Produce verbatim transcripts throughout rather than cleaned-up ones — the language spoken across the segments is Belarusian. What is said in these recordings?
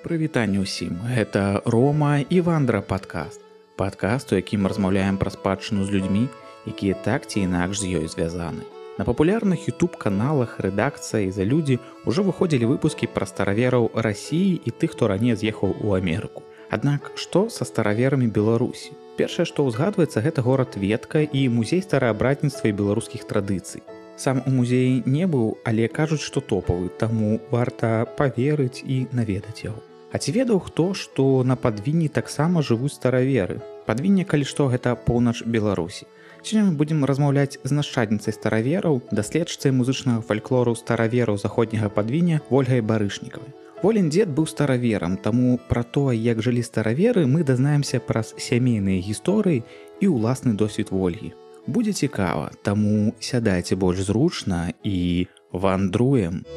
Прывітанне ўсім, гэта Рома і Вандра падкаст. Падкаст, у якім размаўляем пра спадчыну з людзьмі, якія так ці інакш з ёй звязаны. На папулярных ютуб-каналах рэдакцыя і за людзі ўжо выходзілі выпускі пра старавераў Расіі і тых, хто раней з'ехаў у Амерыку. Аднак, што са стараверамі Беларусі? Першае, што ўзгадваецца, гэта горад Ветка і музей стараабратніцтва і беларускіх традыцый. Сам у музеі не быў, але кажуць, што топавы, таму варта паверыць і наведаць яго. А ці ведаў хто, што на Падвінні таксама жывуць стараверы? Падвінне, калі што, гэта поўнач Беларусі. Сёння мы будзем размаўляць з нашчадніцай старавераў, даследчыцай музычнага фальклору старавераў заходняга Падвіння Ольгай Барышнікавай. Волін дзед быў стараверам, таму пра тое, як жылі стараверы, мы дазнаемся праз сямейныя гісторыі і ўласны досвед Ольгі. Будзе цікава, таму сядайце больш зручна і вандруем.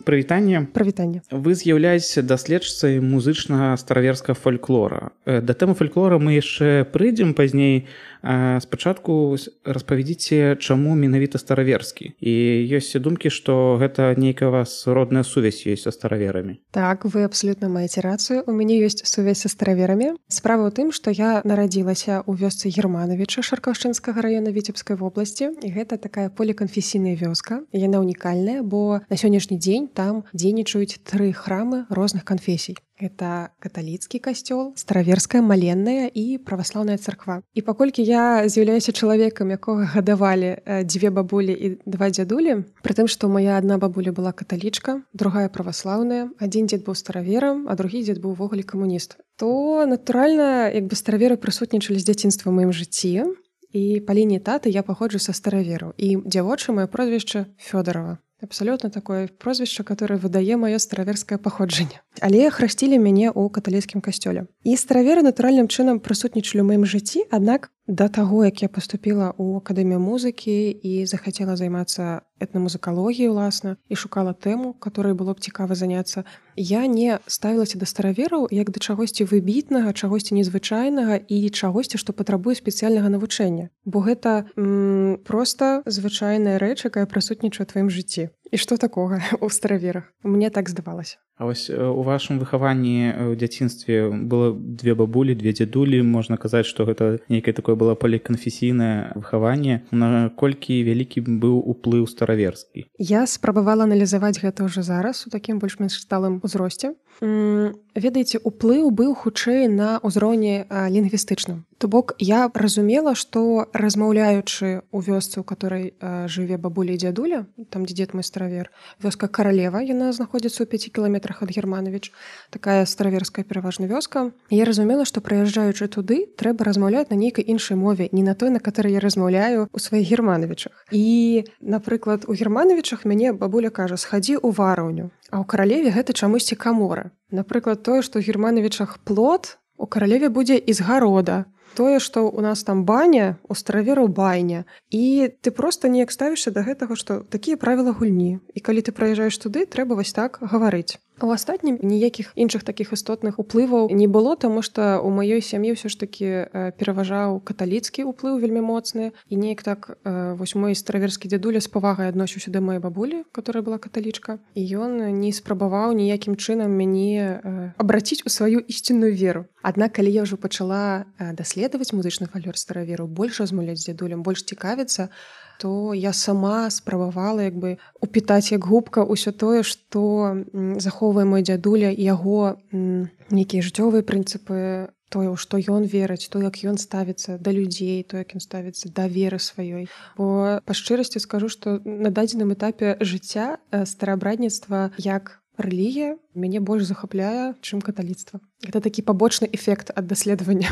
Прывітанне. Прывітанне. Вы з'яўляецеся даследчыцай музычнага стараверскага фальклора. Да тэмы фальклора мы яшчэ прыйдзем пазней. Спачатку распавядзіце, чаму менавіта стараверскі. І ёсць думкі, што гэта нейкая у вас родная сувязь ёсць са стараверамі. Так, вы абсалютна маеце рацыю. У мяне ёсць сувязь са стараверамі. Справа ў тым, што я нарадзілася ў вёсцы Германовіча Шаркаўшчынскага раёна Віцебскай вобласці. І гэта такая поліканфесійная вёска. Яна унікальная, бо на сённяшні дзень там дзейнічаюць тры храмы розных канфесій. Гэта каталіцкі касцёл, стараверская маленная і праваслаўная царква. І паколькі я з'яўляюся чалавекам, якога гадавалі дзве бабулі і два дзядулі, пры тым, што моя адна бабуля была каталічка, другая праваслаўная, адзін дзед быў стараверам, а другі дзед быў увогуле камуніст, то, натуральна, як бы стараверы прысутнічалі з дзяцінства ў маім жыцці, і па лініі таты я паходжу са старавераў. І дзявочае маё прозвішча Фёдарова. Абсалютна такое прозвішча, которое выдае маё стараверскае паходжанне. Але храсцілі мяне ў каталіцкім касцёле. І стараверы натуральным чынам прысутнічалі ў маім жыцці, аднак да таго, як я паступіла ў акадэмію музыкі і захацела займацца этнамузыкалогіяй, уласна, і шукала тэму, которой было б цікава заняцца, я не ставілася да старавераў як да чагосьці выбітнага, чагосьці незвычайнага і чагосьці, што патрабуе спецыяльнага навучэння. Бо гэта м, проста звычайная рэч, якая прысутнічае ў тваім жыцці. І што такога ў стараверах? Мне так здавалася. А вось у вашым выхаванні ў дзяцінстве было две бабулі, две дзядулі, можна казаць, што гэта нейкае такое было поліканфесійнае выхаванне. Наколькі вялікі быў уплыў стараверскі? Я спрабавала аналізаваць гэта ўжо зараз у такім больш-менш сталым узросце. Ведаеце, уплыў быў хутчэй на ўзроўні лінгвістычным. То бок я разумела, што размаўляючы ў вёсцы, у которой жыве бабуля і дзядуля, там дзе дзед мой старавер, вёска Каралева, яна знаходзіцца ў пяці кіламетрах ад Германовіч, такая стараверская пераважна вёска. Я разумела, што прыязджаючы туды, трэба размаўляць на нейкай іншай мове, не на той, на которой я размаўляю у сваіх Германовічах. І, напрыклад, у Германовічах мяне бабуля кажа: схадзі ў вараўню, а ў Каралеве гэта чамусьці камора. Напрыклад, тое, што ў Германовічах плот, у Каралеве будзе ізгарода. Тое, што ў нас там баня, у старавераў байня. І ты проста неяк ставішся да гэтага, што такія правілы гульні. І калі ты прыязджаеш туды, трэба вось так гаварыць. А ў астатнім ніякіх іншых такіх істотных уплываў не было, таму што ў маёй сям'і ўсё ж такі пераважаў каталіцкі ўплыў вельмі моцны. І неяк так вось мой стараверскі дзядуля з павагай адносіўся да маёй бабулі, которая была каталічка. І ён не спрабаваў ніякім чынам мяне абраціць у сваю ісцінную веру. Аднак, калі я ўжо пачала даследаваць музычны фальклор старавераў, больш размаўляць з дзядулем, больш цікавіцца, то я сама спрабавала як бы упітаць як губка ўсё тое, што захоўвае мой дзядуля, яго нейкія жыццёвыя прынцыпы, тое, у што ён верыць, то, як ён ставіцца да людзей, то, як ён ставіцца да веры сваёй. Бо па шчырасці скажу, што на дадзеным этапе жыцця стараабрадніцтва як рэлігія мяне больш захапляе, чым каталіцтва. Гэта такі пабочны эфект ад даследавання.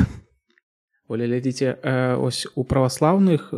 Оля, глядзіце, ось у праваслаўных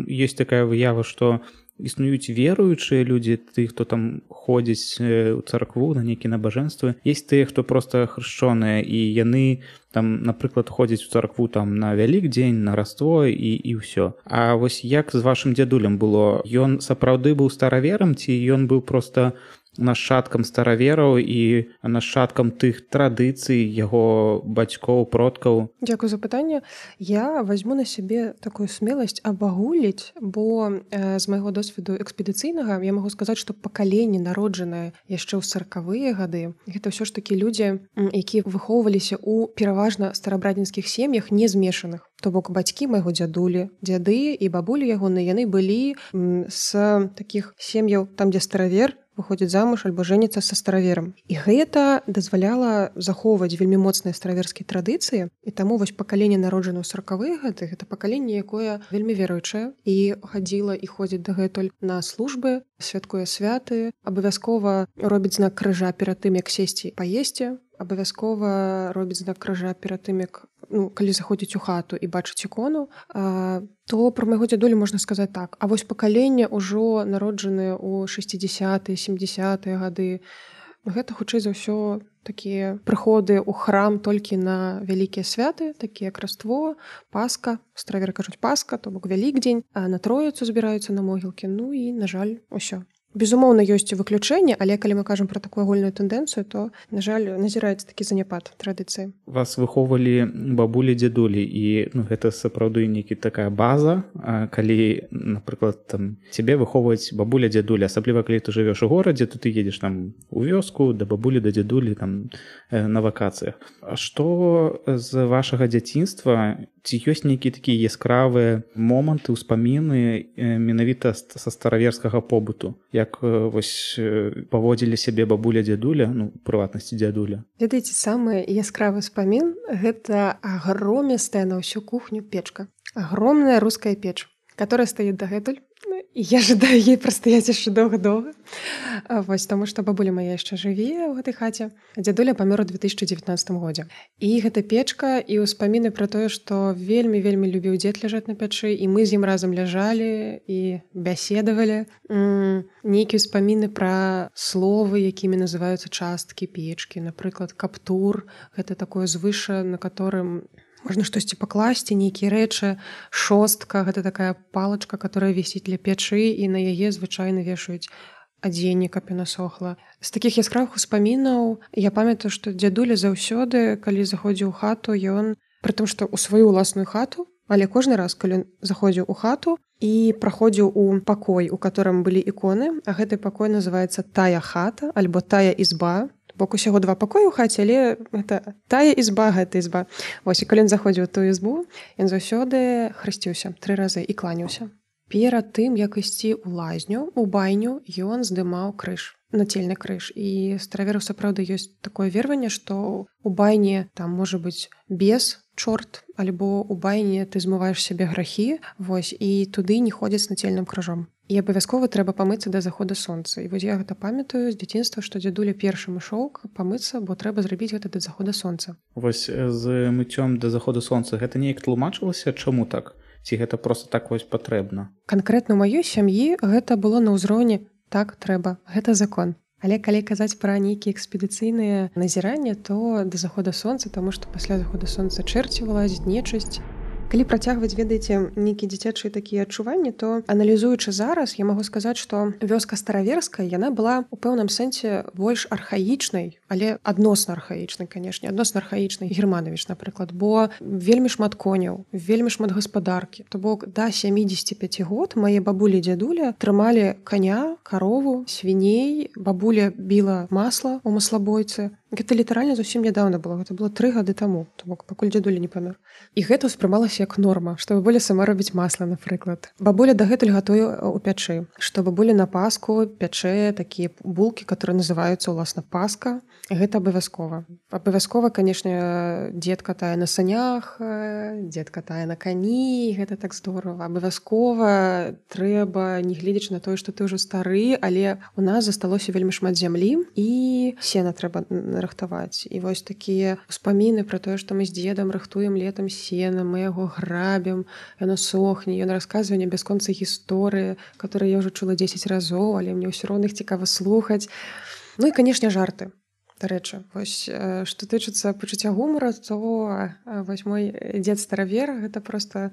ёсць такая выява, што існуюць веруючыя людзі, ты, хто там ходзіць у царкву на нейкія набажэнствы. Ёсць тыя, хто проста хрышчоныя, і яны там, напрыклад, ходзяць у царкву там на Вялікдзень, на Раство і, і ўсё. А вось як з вашым дзядулем было? Ён сапраўды быў стараверам, ці ён быў проста нашчадкам старавераў і нашчадкам тых традыцый яго бацькоў, продкаў? Дзякую за пытанне. Я возьму на сябе такую смеласць абагуліць, бо э, з майго досведу экспедыцыйнага я магу сказаць, што пакаленне, народжанае яшчэ ў саракавыя гады, гэта ўсё ж такі людзі, якія выхоўваліся ў пераважна старабрадзінскіх сем'ях не змешаных. То бок бацькі майго дзядулі, дзяды і бабулі ягоныя, яны былі з такіх сем'яў, там, дзе старавер выходзіць замуж альбо жэніцца са стараверам. І гэта дазваляла захоўваць вельмі моцныя стараверскія традыцыі. І таму вось пакаленне, народжанае ў саракавыя гады, гэта пакаленне, якое вельмі веруючае і хадзіла і ходзіць дагэтуль на службы, святкуе святы, абавязкова робіць знак крыжа перад тым, як сесці паесці, абавязкова робіць знак крыжа перад тым, як ну, калі заходзіць у хату і бачыць ікону, а, то пра майго дзядулю можна сказаць так. А вось пакаленне ўжо народжаныя ў шэсцідзясятыя, сямдзясятыя гады, гэта хутчэй за ўсё такія прыходы ў храм толькі на вялікія святы, такія як Раство, Пасха, стараверы кажуць Пасха, то бок Вялікдзень, а на Троіцу збіраюцца на могілкі, ну і, на жаль, усё. Безумоўна, ёсць выключэнне, але калі мы кажам пра такую агульную тэндэнцыю, то, на жаль, назіраецца такі заняпад традыцыі. Вас выхоўвалі бабулі, дзядулі, і ну, гэта сапраўды нейкі такая база, калі, напрыклад, там, цябе выхоўваюць бабуля, дзядулі, асабліва калі ты жывеш у горадзе, то ты едзеш там у вёску, да бабулі, да дзядулі, там, на вакацыях. А што з вашага дзяцінства, ці ёсць нейкія такія яскравыя моманты, ўспаміны менавіта са стараверскага побыту? Як вось паводзілі сябе бабуля, дзядуля, ну, у прыватнасці дзядуля? Ведаеце, самы яскравы ўспамін — гэта агромістая на ўсю кухню печка. Агромная руская печ, которая стаіць дагэтуль. І я жадаю ей прастаяць яшчэ доўга-доўга. Вось, таму што бабуля моя яшчэ жыве ў гэтай хаце. Дзядуля памёр у две тысячы дзевятнаццатым годзе. І гэта печка і ўспаміны пра тое, што вельмі-вельмі любіў дзед ляжаць на печы, і мы з ім разам ляжалі і бяседавалі. Нейкія ўспаміны пра словы, якімі называюцца часткі печкі. Напрыклад, каптур — гэта такое звыша, на которым можна штосьці пакласці, нейкія рэчы. Шостка — гэта такая палачка, которая вісіць ля печы, і на яе звычайна вешаюць адзенне, каб яна сохла. З такіх яскравых успамінаў я памятаю, што дзядуля заўсёды, калі заходзіў у хату, ён, пры тым, што ў сваю ўласную хату, але кожны раз, калі заходзіў у хату і праходзіў у пакой, у которым былі іконы, а гэты пакой называецца тая хата альбо тая ізба, бок усяго два пакоі ў хаце, але гэта тая ізба, гэта ізба. Вось, і калі ён заходзіў у тую ізбу, ён заўсёды хрысціўся тры разы і кланяўся. Перад тым, як ісці ў лазню, у байню, ён здымаў крыж, нацельны крыж. І старавераў сапраўды ёсць такое вераванне, што у байне там можа быць бес, чорт, альбо у байне ты змываеш сябе грахі, вось, і туды не ходзяць з нацельным крыжом. І абавязкова трэба памыцца да захода сонца. І вось я гэта памятаю з дзяцінства, што дзядуля першым ішоў памыцца, бо трэба зрабіць гэта да захода сонца. Вось з мыццём да захода сонца гэта неяк тлумачылася? Чаму так? Ці гэта проста так вось патрэбна? Канкрэтна ў маёй сям'і гэта было на ўзроўні так трэба, гэта закон. Але калі казаць пра нейкія экспедыцыйныя назіранні, то да захода сонца, таму што пасля захода сонца чэрці вылазіць, нечысць. Калі працягваць, ведаеце, нейкія дзіцячыя такія адчуванні, то, аналізуючы зараз, я магу сказаць, што вёска стараверская, яна была ў пэўным сэнсе больш архаічнай, але адносна архаічнай, канешне, адносна архаічнай. Германович, напрыклад, бо вельмі шмат коняў, вельмі шмат гаспадаркі. То бок да сямідзесяці пяці год мае бабулі і дзядуля трымалі каня, карову, свіней, бабуля біла масла ў маслабойцы. Гэта літаральна зусім нядаўна было, гэта было тры гады таму, то бок пакуль дзядуля не памёр. І гэта ўспрымалася як норма, што бабуля сама робіць масла, напрыклад. Бабуля дагэтуль гатуе ў пячы, што бабуля на Пасху пячэ такія булкі, которые называюцца ўласна Пасха. Гэта абавязкова. Абавязкова, канешне, дзед катае на санях, дзед катае на кані, гэта так здорава. Абавязкова трэба, не гледзячы на тое, што ты ўжо стары, але у нас засталося вельмі шмат зямлі, і сена трэба рыхтаваць. І вось такія ўспаміны пра тое, што мы з дзедам рыхтуем летам сена, мы яго грабім, яно сохне, ён расказвае не бясконцы гісторыі, которые я ўжо чула дзесяць разоў, але мне ўсё роўна іх цікава слухаць. Ну і, канешне, жарты. Дарэчы, вось, што тычыцца пачуцця гумара, то вось мой дзед старавер — гэта проста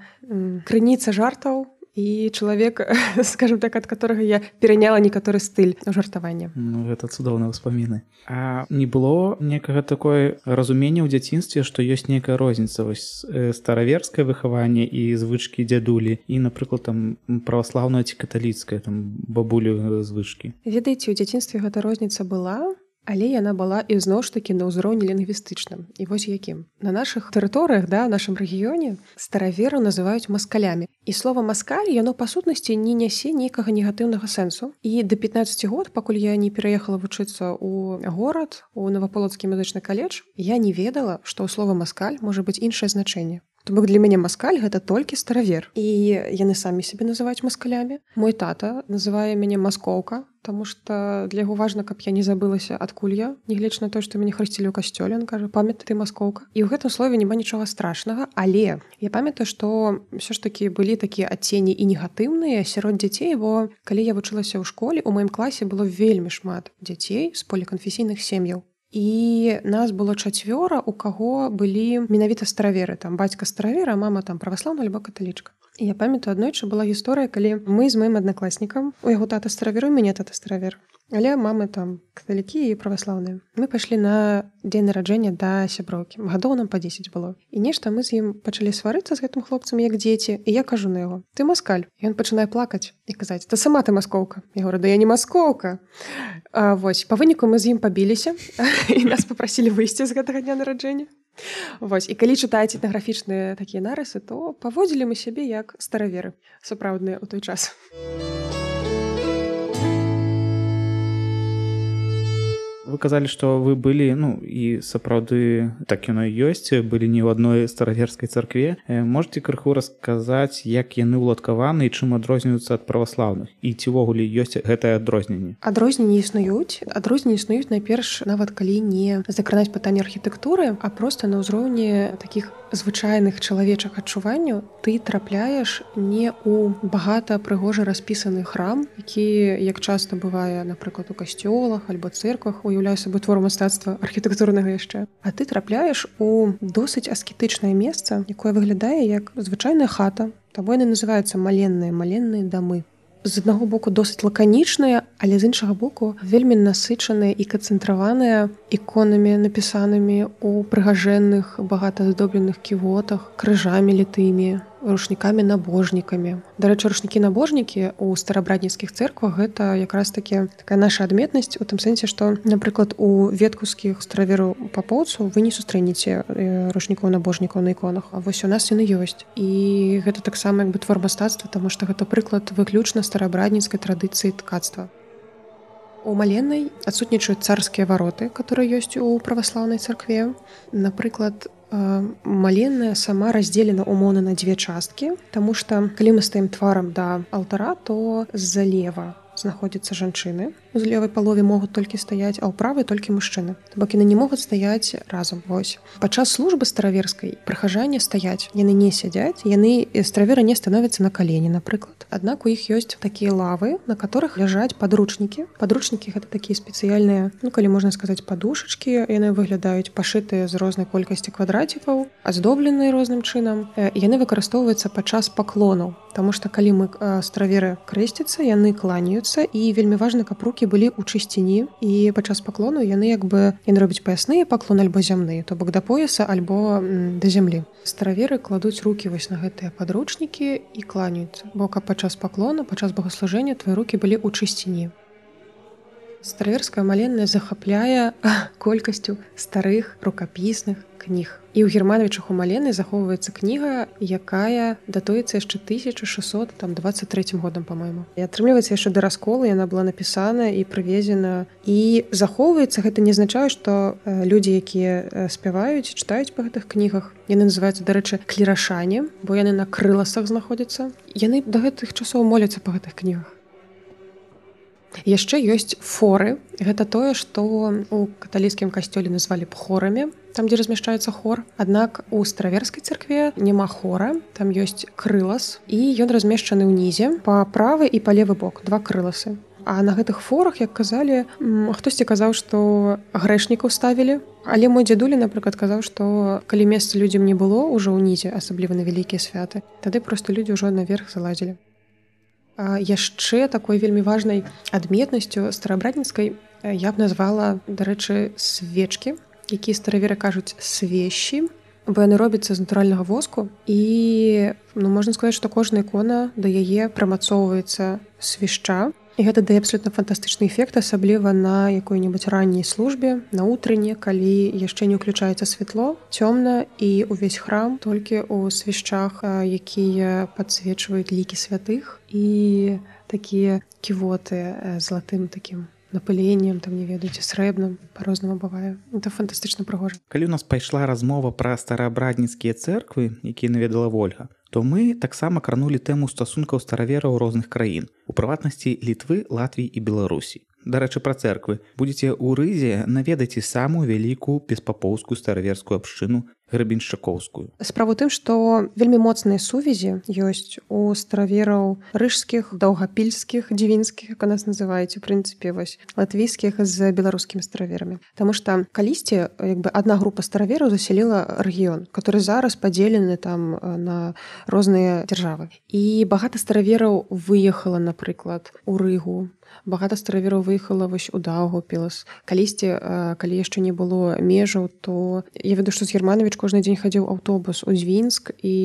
крыніца жартаў, і чалавек, скажем так, ад которага я пераняла некаторы стыль жартавання. Ну, гэта цудоўныя ўспаміны. А не было некага такое разумення ў дзяцінстве, што ёсць нейкая розніца вось стараверскае выхаванне і звычкі дзядулі і, напрыклад, там праваслаўнае ці каталіцкае, там бабулю звычкі? Ведаеце, у дзяцінстве гэта розніца была, але яна была і зноў ж такі на ўзроўні лінгвістычным. І вось якім. На нашых тэрыторыях, да, ў нашым рэгіёне старавераў называюць маскалямі. І слова маскаль, яно па сутнасці не нясе нейкага негатыўнага сэнсу. І да пятнаццаці год, пакуль я не пераехала вучыцца ў горад, у Наваполацкі музычны каледж, я не ведала, што ў слова маскаль можа быць іншае значэнне. То бок для мяне маскаль гэта толькі старавер. І яны самі сябе называюць маскалямі. Мой тата называе мяне маскоўка, таму што для яго важна, каб я не забылася, адкуль я, нягледзячы на то, што мяне хрысцілі ў касцёле, ён кажа: памятай, ты маскоўка. І ў гэтым слове няма нічога страшнага, але я памятаю, што ўсё ж такі былі такія адценні і негатыўныя сярод дзяцей, бо калі я вучылася ў школе, у маім класе было вельмі шмат дзяцей з поліканфесійных сем'яў. І нас было чацвёра, у каго былі менавіта стараверы. Там бацька старавер, а мама там праваслаўная альбо каталічка. І я памятаю, аднойчы была гісторыя, калі мы з маім аднакласнікам, у яго тата старавер, у мяне тата старавер, але мамы там каталікі і праваслаўныя. Мы пайшлі на дзень нараджэння да сяброўкі. Гадоў нам па дзесяць было. І нешта мы з ім пачалі сварыцца з гэтым хлопцам, як дзеці, і я кажу на яго: ты маскаль. І ён пачынае плакаць і казаць: та сама ты маскоўка. Я говорю: да я не маскоўка. А, вось, па выніку мы з ім пабіліся і нас папрасілі выйсці з гэтага дня нараджэння. Вось, і калі чытаеце этнаграфічныя такія нарысы, то паводзілі мы сябе як стараверы сапраўдныя ў той час. Вы казалі, што вы былі, ну, і сапраўды так яно і ёсць, былі не ў адной стараверскай царкве. Можаце крыху расказаць, як яны ўладкаваны і чым адрозніваюцца ад праваслаўных? І ці ўвогуле ёсць гэтае адрозненне? Адрозненні існуюць. Адрозненні існуюць найперш, нават калі не закранаць пытанне архітэктуры, а проста на ўзроўні такіх звычайных чалавечых адчуванняў ты трапляеш не ў багата прыгожа распісаны храм, які, як часта бывае, напрыклад, у касцёлах альбо цэрквах, уяўляе сабой твор мастацтва архітэктурнага яшчэ. А ты трапляеш у досыць аскетычнае месца, якое выглядае як звычайная хата. Таму яны называюцца маленныя, маленныя дамы. З аднаго боку досыць лаканічныя, але з іншага боку вельмі насычаныя і канцэнтраваныя іконамі, напісанымі ў прыгажэнных, багата аздобленых ківотах, крыжамі літымі, рушнікамі-набожнікамі. Дарэчы, рушнікі-набожнікі ў старабратніцкіх цэрквах гэта якраз таки такая наша адметнасць у тым сэнсе, што, напрыклад, у веткаўскіх старавераў папоўцаў вы не сустрэнеце рушнікоў-набожнікаў на іконах, а вось у нас яны ёсць. І гэта таксама як бы твор мастацтва, таму што гэта прыклад выключна старабратніцкай традыцыі ткацтва. У маленнай адсутнічаюць царскія вароты, которые ёсць у праваслаўнай царкве. Напрыклад, маленная сама раздзелена умоўна на дзве часткі, таму што калі мы стаім тварам да алтара, то злева знаходзяцца жанчыны. У левай палове могуць толькі стаяць, а ў правай толькі мужчыны. То бок яны не могуць стаяць разам. Вось. Падчас службы стараверскай прыхажане стаяць. Яны не сядзяць, яны стараверы не становяцца на калені, напрыклад. Аднак у іх ёсць такія лавы, на которых ляжаць падручнікі. Падручнікі гэта такія спецыяльныя, ну калі можна сказаць, падушачкі. Яны выглядаюць пашытыя з рознай колькасці квадрацікаў, аздобленыя розным чынам. Яны выкарыстоўваюцца падчас паклонаў. Таму што калі мы стараверы крэсцяцца, яны кланяюцца, і вельмі важна, каб рукі былі ў чысціні, і падчас паклону яны як бы яны робяць паясныя паклон альбо зямныя, то бок да пояса альбо да зямлі. Стараверы кладуць рукі вось на гэтыя падручнікі і кланяюцца, бо каб падчас паклона, падчас богаслужэння твае рукі былі ў чысціні. Стараверская маленная захапляе колькасцю старых рукапісных кніг. І ў Германовичах у маленай захоўваецца кніга, якая датуецца яшчэ тысяча шэсцьсот дваццаць трэцім годам, па-мойму. І атрымліваецца яшчэ да расколу, яна была напісана і прывезена. І захоўваецца, гэта не азначае, што людзі, якія спяваюць, чытаюць па гэтых кнігах, яны называюцца, дарэчы, клірашане, бо яны на крыласах знаходзяцца. Яны да гэтых часоў моляцца па гэтых кнігах. Яшчэ ёсць форы. Гэта тое, што у каталіцкім касцёле назвалі б хорамі, там, дзе размяшчаецца хор. Аднак у стараверскай царкве няма хора, там ёсць крылас, і ён размешчаны ўнізе па правы і па левы бок, два крыласы. А на гэтых форах, як казалі, хтосьці казаў, што грэшнікаў ставілі. Але мой дзядуля, напрыклад, казаў, што калі месца людзям не было ўжо ўнізе, асабліва на вялікія святы, тады проста людзі ўжо наверх залазілі. Яшчэ такой вельмі важнай адметнасцю старабратніцкай я б назвала, дарэчы, свечкі, якія стараверы кажуць свечі, бо яны робяцца з натуральнага воску. І ну, можна сказаць, што кожная ікона да яе прымацоўваецца свішча. І гэта дае абсолютна фантастычны эфект, асабліва на якой-небудзь ранняй службе, на утрыне, калі яшчэ не ўключаецца святло, цёмна, і ўвесь храм толькі ў свішчах, якія падсвечваюць лікі святых, і такія ківоты золотым такім напыленнем, там не ведаеце, срэбным, па-рознаму бывае. Это фантастычна прыгожа. Калі у нас пайшла размова пра стараабрадніцкія цэрквы, якія наведала Вольга, то мы таксама кранулі тэму стасункаў старавераў розных краін, у прыватнасці Літвы, Латвіі і Беларусі. Дарэчы, пра цэрквы. Будзеце ў Рызе, наведайце самую вялікую беспапоўскую стараверскую абшчыну грэбеншчыкоўскую. Справа ў тым, што вельмі моцныя сувязі ёсць у старавераў рыжскіх, даўгапільскіх, дзівінскіх, як у нас называюць, у прынцыпе, вось, латвійскіх з беларускімі стараверамі. Таму што калісьці як бы адна група старавераў засяліла рэгіён, который зараз падзелены там на розныя дзяржавы. І багата старавераў выехала, напрыклад, у Рыгу. Багата старавераў выехала вось у Даўгаўпілс. Калісьці, калі яшчэ не было межаў, то я ведаю, што з Германович кожны дзень хадзіў аўтобус у Дзвінск, і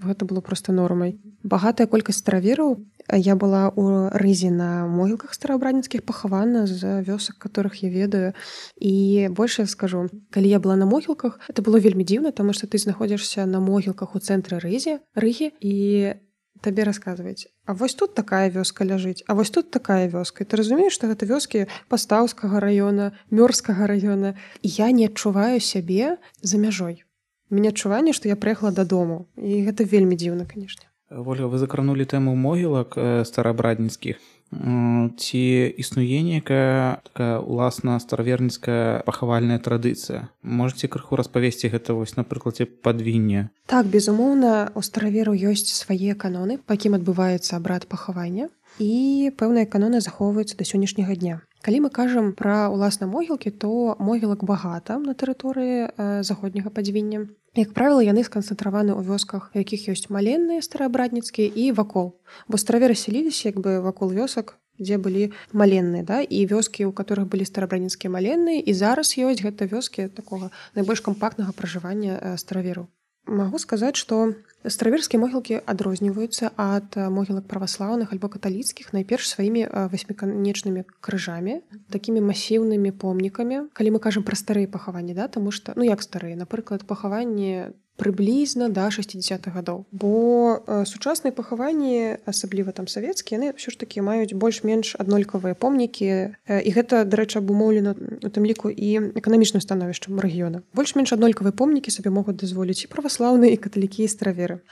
гэта было проста нормай. Багатая колькасць старавераў. Я была ў Рызе на могілках стараабрадніцкіх, пахавана з вёсак, которых я ведаю. І больш я скажу, калі я была на могілках, это было вельмі дзіўна, таму што ты знаходзішся на могілках у цэнтры Рызе, Рыгі, і табе расказваюць, а вось тут такая вёска ляжыць, а вось тут такая вёска. І ты разумееш, што гэта вёскі Пастаўскага раёна, Мёрскага раёна. І я не адчуваю сябе за мяжой. У мяне адчуванне, што я прыехала дадому. І гэта вельмі дзіўна, канешне. Вольга, вы закранулі тэму могілак стараабрадніцкіх. Ці існуе некая такая уласна стараверніцкая пахавальная традыцыя? Можаце крыху распавесці гэта вось на прыкладзе Падвіння? Так, безумоўна, у старавераў ёсць свае каноны, па якім адбываецца абрад пахавання, і пэўныя каноны захоўваюцца да сённяшняга дня. Калі мы кажам пра уласна могілкі, то могілак багата на тэрыторыі э, заходняга Падвіння. Як правіла, яны сканцэнтраваны ў вёсках, у якіх ёсць маленныя стараабрадніцкія і вакол. Бо стараверы селіліся як бы вакол вёсак, дзе былі маленныя, да? І вёскі, у которых былі стараабрадніцкія маленныя, і зараз ёсць гэта вёскі такога найбольш кампактнага пражывання э, старавераў. Магу сказаць, што стараверскія могілкі адрозніваюцца ад могілак праваслаўных альбо каталіцкіх найперш сваімі васьміканечнымі крыжамі, такімі масіўнымі помнікамі. Калі мы кажам пра старыя пахаванні, да, таму што, ну як старыя, напрыклад, пахаванні прыблізна да шэсцідзесятых гадоў. Бо э, сучасныя пахаванні, асабліва там савецкія, яны ўсё ж такі маюць больш-менш аднолькавыя помнікі. Э, і гэта, дарэчы, абумоўлена у тым ліку і эканамічным становішчам рэгіёна. Больш-менш аднолькавыя помнікі сабе могуць дазволіць і праваслаўныя, і каталікі, і стараверы.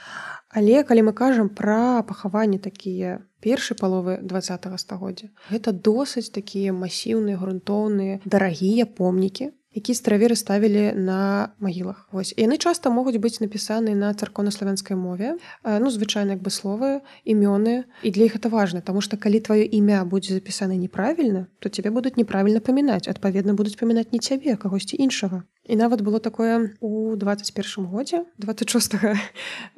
Але калі мы кажам пра пахаванні такія першай паловы двадцатага стагоддзя, гэта досыць такія масіўныя, грунтоўныя, дарагія помнікі, якія стараверы ставілі на магілах. Вось. І яны часта могуць быць напісаны на царкоўнаславянскай мове, ну, звычайна як бы словы, імёны, і для іх гэта важна, таму што калі тваё імя будзе запісана неправільна, то цябе будуць неправільна памінаць, адпаведна будуць памінаць не цябе, а кагосьці іншага. І нават было такое у двадцать першым годзе, двадцать шостага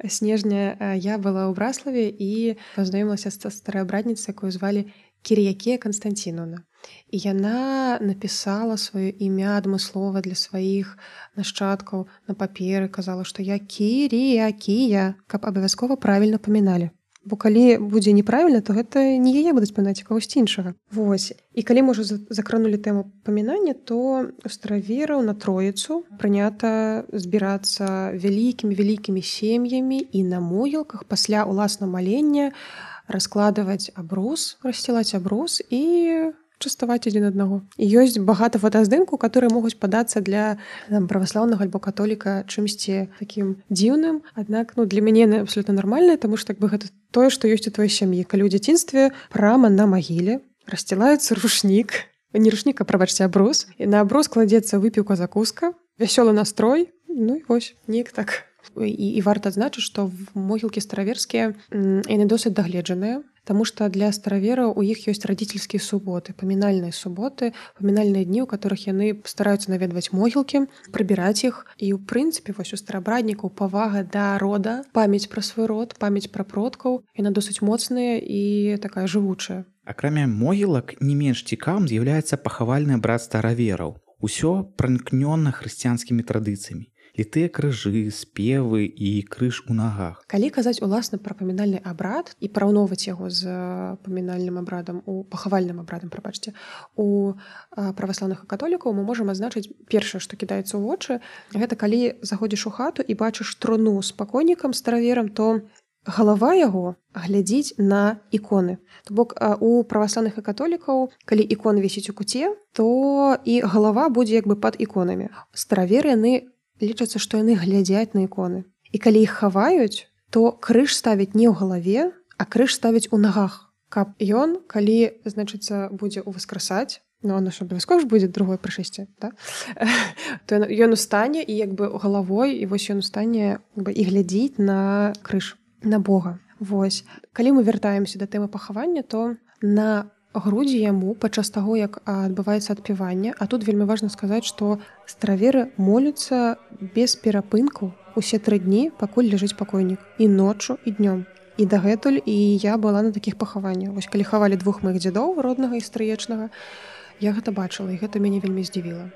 снежня, я была ў Браславе і пазнаёмілася са стараабрадніцай, якую звалі Кір'якія Канстанціновна. І яна напісала сваё імя адмыслова для сваіх нашчадкаў на паперы, казала, што я Кір'якія, каб абавязкова правільна паміналі. Бо калі будзе неправільна, то гэта не яе будуць памінаць, а кагосьці іншага. Вось. І калі мы ўжо закранулі тэму памінання, то у старавераў на Троіцу прынята збірацца вялікімі-вялікімі сем'ямі і на могілках пасля уласна малення раскладваць абрус, рассцілаць абрус і частаваць адзін аднаго. І ёсць багата фотаздымку, которые могуць падацца для там, праваслаўнага альбо католіка чымсьці такім дзіўным. Аднак ну, для мяне яны абсолютна нармальныя, таму што як бы гэта тое, што ёсць у твоей сям'і. Калі ў дзяцінстве прама на магіле рассцілаецца рушнік, не рушнік, а прабачце абрус, і на абрус кладзецца выпіўка закуска, вясёлы настрой, ну і вось, неяк так. І, і варта адзначыць, што могілкі стараверскія яны досыць дагледжаныя. Таму што для старавераў у іх ёсць радзіцельскія суботы, памінальныя суботы, памінальныя дні, у которых яны стараюцца наведваць могілкі, прыбіраць іх. І ў прынцыпе вось у старабраднікаў павага да рода, памяць пра свой род, памяць пра продкаў, яна досыць моцная і такая жывучая. Акрамя могілак не менш цікавым з'яўляецца пахавальны абрад старавераў. Усё пранікнёна хрысціянскімі традыцыямі. Літыя крыжы, спевы і крыж у нагах. Калі казаць уласна пра памінальны абрад і параўноўваць яго з памінальным абрадам, у пахавальным абрадам, прабачце, у праваслаўных і католікаў мы можам адзначыць першае, што кідаецца ў вочы, гэта калі заходзіш у хату і бачыш труну з пакойнікам, стараверам, то галава яго глядзіць на іконы. То бок у праваслаўных і католікаў, калі ікон вісіць у куце, то і галава будзе як бы пад іконамі. Стараверы яны лічацца, што яны глядзяць на іконы. І калі іх хаваюць, то крыж ставіць не ў галаве, а крыж ставіць у нагах, каб ён, калі, значыцца, будзе ўваскрасаць, ну, оно ж абавязкова ж будзе другое прышэсце, да? То ён устане і як бы галавой, і вось ён устане і глядзіць на крыж, на Бога. Вось. Калі мы вяртаемся да тэмы пахавання, то на грудзі яму падчас таго, як адбываецца адпяванне, а тут вельмі важна сказаць, што стараверы моляцца без перапынку усе тры дні, пакуль ляжыць пакойнік, і ноччу, і днём. І дагэтуль і я была на такіх пахаваннях. Вось калі хавалі двух маіх дзядоў, роднага і стрыечнага, я гэта бачыла, і гэта мяне вельмі здзівіла.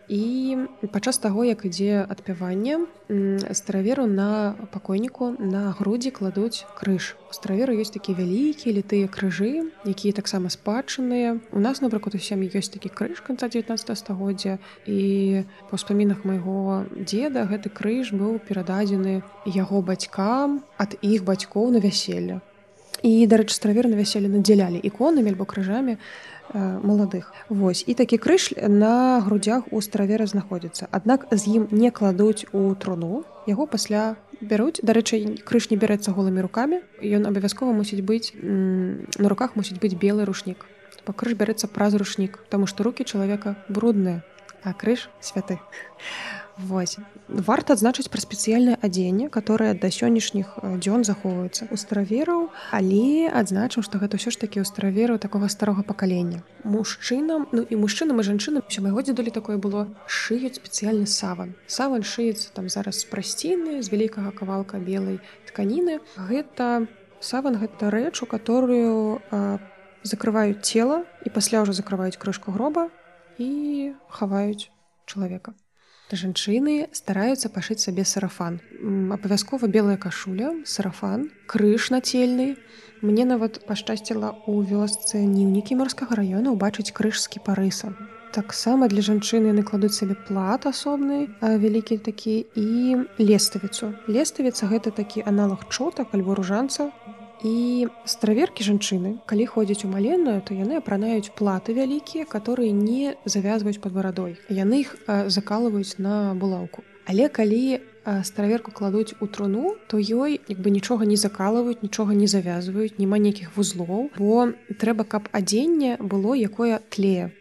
І падчас таго, як ідзе адпяванне, стараверу на пакойніку на грудзі кладуць крыж. У стараверу ёсць такія вялікія літыя крыжы, якія таксама спадчынныя. У нас, напрыклад, у сям'і ёсць такі крыж канца дзевятнаццатага стагоддзя, і па ўспамінах майго дзеда гэты крыж быў перададзены яго бацькам ад іх бацькоў на вяселле. І, дарэчы, стараверы на вяселле надзялялі іконамі альбо крыжамі маладых. Вось. І такі крыж на грудзях у старавера знаходзіцца. Аднак з ім не кладуць у труну, яго пасля бяруць. Дарэчы, крыж не бярэцца голымі рукамі, ён абавязкова мусіць быць, на руках мусіць быць белы рушнік. Бо крыж бярэцца праз рушнік, таму што рукі чалавека брудныя, а крыж святы. Вось. Варта адзначыць пра спецыяльнае адзенне, которое да сённяшніх дзён захоўваецца ў старавераў, але адзначым, што гэта ўсё ж такі ў старавераў такога старога пакалення. Мужчынам, ну і мужчынам і жанчынам, усё майго дзедулі такое было, шыюць спецыяльны саван. Саван шыецца там зараз з прасціны, з вялікага кавалка белай тканіны. Гэта саван, гэта рэч, у которую а, закрываюць цела і пасля ўжо закрываюць крышку гроба і хаваюць чалавека. Жанчыны стараюцца пашыць сабе сарафан. Абавязкова белая кашуля, сарафан, крыж нацельны. Мне нават пашчасціла ў вёсцы Ніўнікі Марскага раёна ўбачыць крыж з кіпарысам. Таксама для жанчыны яны кладуць сабе плат асобны, вялікі такі, і леставіцу. Леставіца гэта такі аналог чотак альбо ружанца. І стараверкі жанчыны, калі ходзяць у маленную, то яны апранаюць платы вялікія, которые не завязваюць пад барадой. Яны іх закалваюць на булаўку. Але калі стараверку кладуць у труну, то ёй як бы нічога не закалваюць, нічога не завязваюць, няма нейкіх вузлоў, бо трэба, каб адзенне было якое тлее.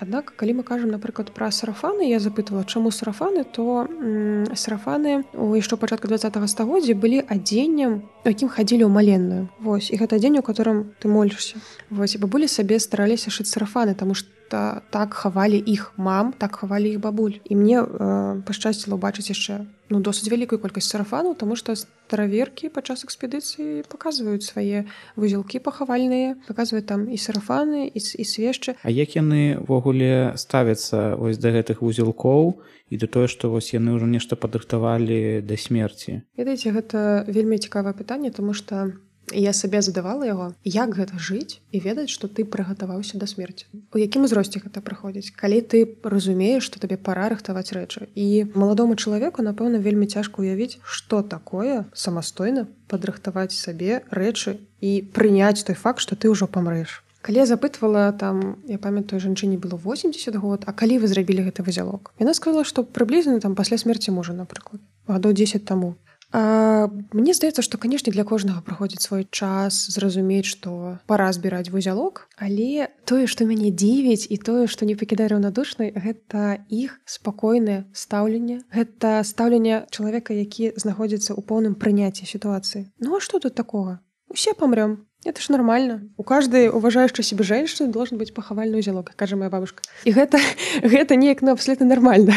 Аднак, калі мы кажам, напрыклад, пра сарафаны, я запытвала, чаму сарафаны, то м, сарафаны у яшчэ пачатку двадцатага стагоддзя былі адзеннем, якім хадзілі ў маленную. Вось, і гэта адзенне, у которым ты молішся. Вось, і бабулі сабе стараліся шыць сарафаны, таму што так хавалі іх мам, так хавалі іх бабуль. І мне э, пашчасціла ўбачыць яшчэ ну, досыць вялікую колькасць сарафанаў, таму што стараверкі падчас экспедыцыі паказваюць свае вузелкі пахавальныя, паказваюць там і сарафаны, і, і свешчы. А як яны ввогуле ставяцца вось да гэтых вузелкоў і да тое, што вось яны ўжо нешта падрыхтавалі да смерці? Ведаеце, гэта вельмі цікавае пытанне, таму што я сабе задавала яго, як гэта жыць і ведаць, што ты прыгатаваўся да смерці. У якім узросце гэта праходзіць? Калі ты разумееш, што табе пара рыхтаваць рэчы. І маладому чалавеку, напэўна, вельмі цяжка ўявіць, што такое самастойна падрыхтаваць сабе рэчы і прыняць той факт, што ты ўжо памрэш. Калі я запытвала, там, я памятаю, жанчыне было восемьдесят год, а калі вы зрабілі гэты вузелок? Яна сказала, што прыблізна там пасля смерці мужа, напрыклад, гадоў дзесяць таму. А, мне здаецца, што, канешне, для кожнага праходзіць свой час зразумець, што пара збіраць вузелок, але тое, што мяне дзівіць і тое, што не пакідае раўнадушнай, гэта іх спакойнае стаўленне, гэта стаўленне чалавека, які знаходзіцца ў поўным прыняцці сітуацыі. Ну а што тут такога? Усе памрём. Это ж нормально. У каждой уважающей себе женщины должен быть пахавальный узелок, кажа моя бабушка. І гэта, гэта неяк ну, абсолютно нормально.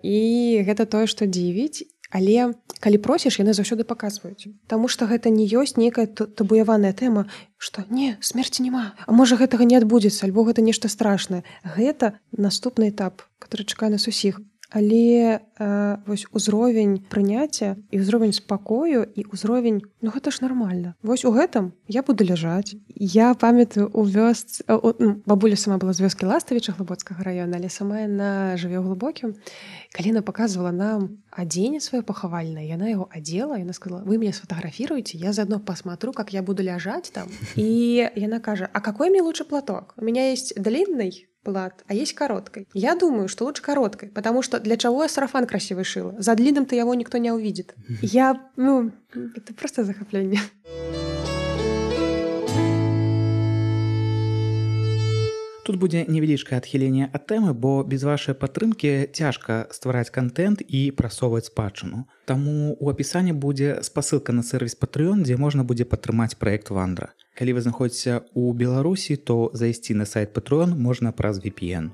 І гэта тое, што дзівіць, але калі просіш, яны заўсёды паказваюць. Таму што гэта не ёсць нейкая табуяваная тэма, што не, смерці няма. А можа гэтага не адбудзецца, альбо гэта нешта страшнае. Гэта наступны этап, который чакае нас усіх. Але э, вось узровень прыняцця і ўзровень спакою і ўзровень, ну гэта ж нармальна. Вось у гэтым я буду ляжаць. Я памятаю у вёсцы, ну, бабуля сама была з вёскі Ластавіча Глыбоцкага района, але сама яна жыве ў Глыбокім. Калі яна паказвала нам адзенне сваё пахавальнае, яна яго адзела, яна сказала: "Вы меня сфотографируете, я заодно посмотрю, как я буду ляжаць там". І яна кажа: "А какой мне лучше платок? У меня есть длинный плат, а есть короткой. Я думаю, что лучше короткой, потому что для чего я сарафан красивый шила? За длинным-то его никто не увидит". Я, ну, это просто захопление. Тут будзе невялічкае адхіленне ад тэмы, бо без вашай падтрымкі цяжка ствараць контент і прасоўваць спадчыну. Таму у апісанні будзе спасылка на сервіс Patreon, дзе можна будзе падтрымаць праект Вандра. Калі вы знаходзіцеся ў Беларусі, то зайсці на сайт Patreon можна праз ви пі эн.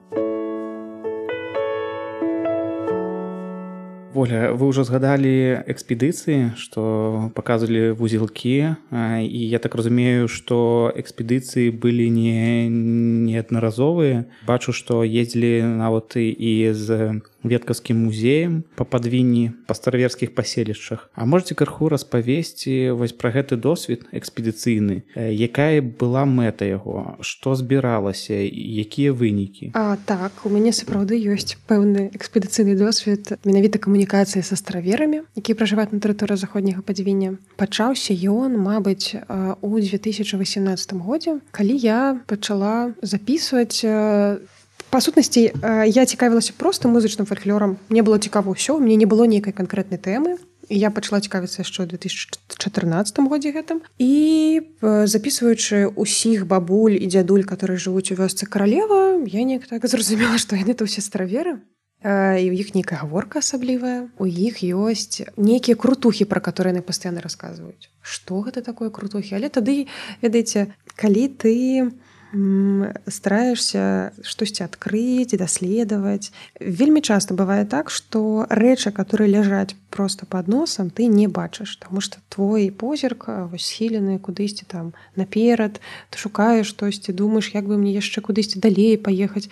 Воля, вы ўжо згадалі экспедыцыі, што паказвалі вузелкі, і я так разумею, што экспедыцыі былі не неаднаразовыя. Бачу, што ездзілі нават і з веткаўскім музеем па падвінні па стараверскіх паселішчах. А можаце крыху распавесці вось пра гэты досвед экспедыцыйны? Якая была мэта яго? Што збіралася? Якія вынікі? А, так, у мяне сапраўды ёсць пэўны экспедыцыйны досвед менавіта камунікацыі са стараверамі, якія пражываюць на тэрыторыі заходняга падвіння. Пачаўся ён, мабыць, у две тысячи восемнадцатым годзе, калі я пачала записываць. Па сутнасці, я цікавілася проста музычным фальклорам. Мне было цікава ўсё, у мяне не было нейкай канкрэтнай тэмы. І я пачала цікавіцца яшчэ ў две тысячи чатырнаццатым годзе гэтым. І записваючы ўсіх бабуль і дзядуль, которые жывуць у вёсцы Каралева, я неяк так зразумела, што яны то ўсе стараверы. І ў іх нейкая гаворка асаблівая. У іх ёсць нейкія крутухі, пра которые яны пастаянна расказваюць. Што гэта такое крутухі? Але тады, ведаеце, калі ты стараешься штосьці адкрыць, даследаваць. Вельмі часта бывае так, што рэчы, которые ляжаць просто пад носам, ты не бачыш, таму што твой позірк вось схілены кудысьці там наперад, ты шукаеш штосьці, думаеш, як бы мне яшчэ кудысьці далей паехаць,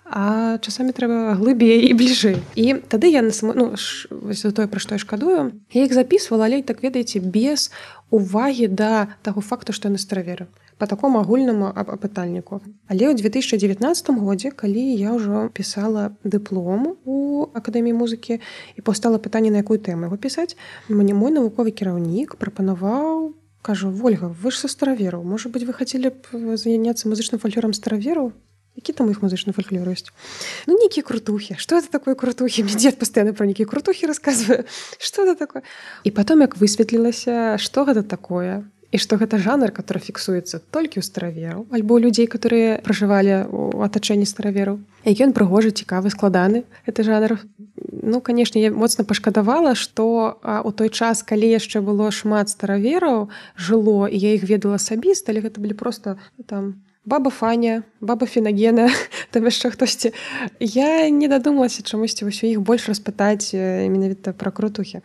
а часамі трэба глыбей і бліжэй. І тады я на само, ну, вось тое, пра што я шкадую, я іх записывала, але так ведаеце, без увагі да таго факту, што яны стараверы. По такому агульнаму апытальніку. Але ў две тысячи девятнадцатым годзе, калі я ўжо пісала дыплом у Акадэміі музыкі і паўстала пытанне, на якую тэму яго пісаць, мне мой навуковы кіраўнік прапанаваў, кажу: "Вольга, вы ж са старавераў, можа быць, вы хацелі б заняцца музычным фальклорам старавераў? Які там іх музычны фальклор ёсць? Ну, нейкія крутухі. Што это такое крутухі? Мне дзед пастаянна пра нейкія крутухі расказвае. Што это такое?" І потом, як высветлілася, што гэта такое, і што гэта жанр, который фіксуецца толькі ў старавераў, альбо ў людзей, которые пражывалі ў атачэнні старавераў. І ён прыгожы, цікавы, складаны, гэты жанр. Ну, канешне, я моцна пашкадавала, што а, у той час, калі яшчэ было шмат старавераў, жыло, і я іх ведала асабіста, але гэта былі проста там баба Фаня, баба Фенагена, там яшчэ хтосьці. Я не дадумалася чамусьці вось у іх больш распытаць менавіта пра крутухі.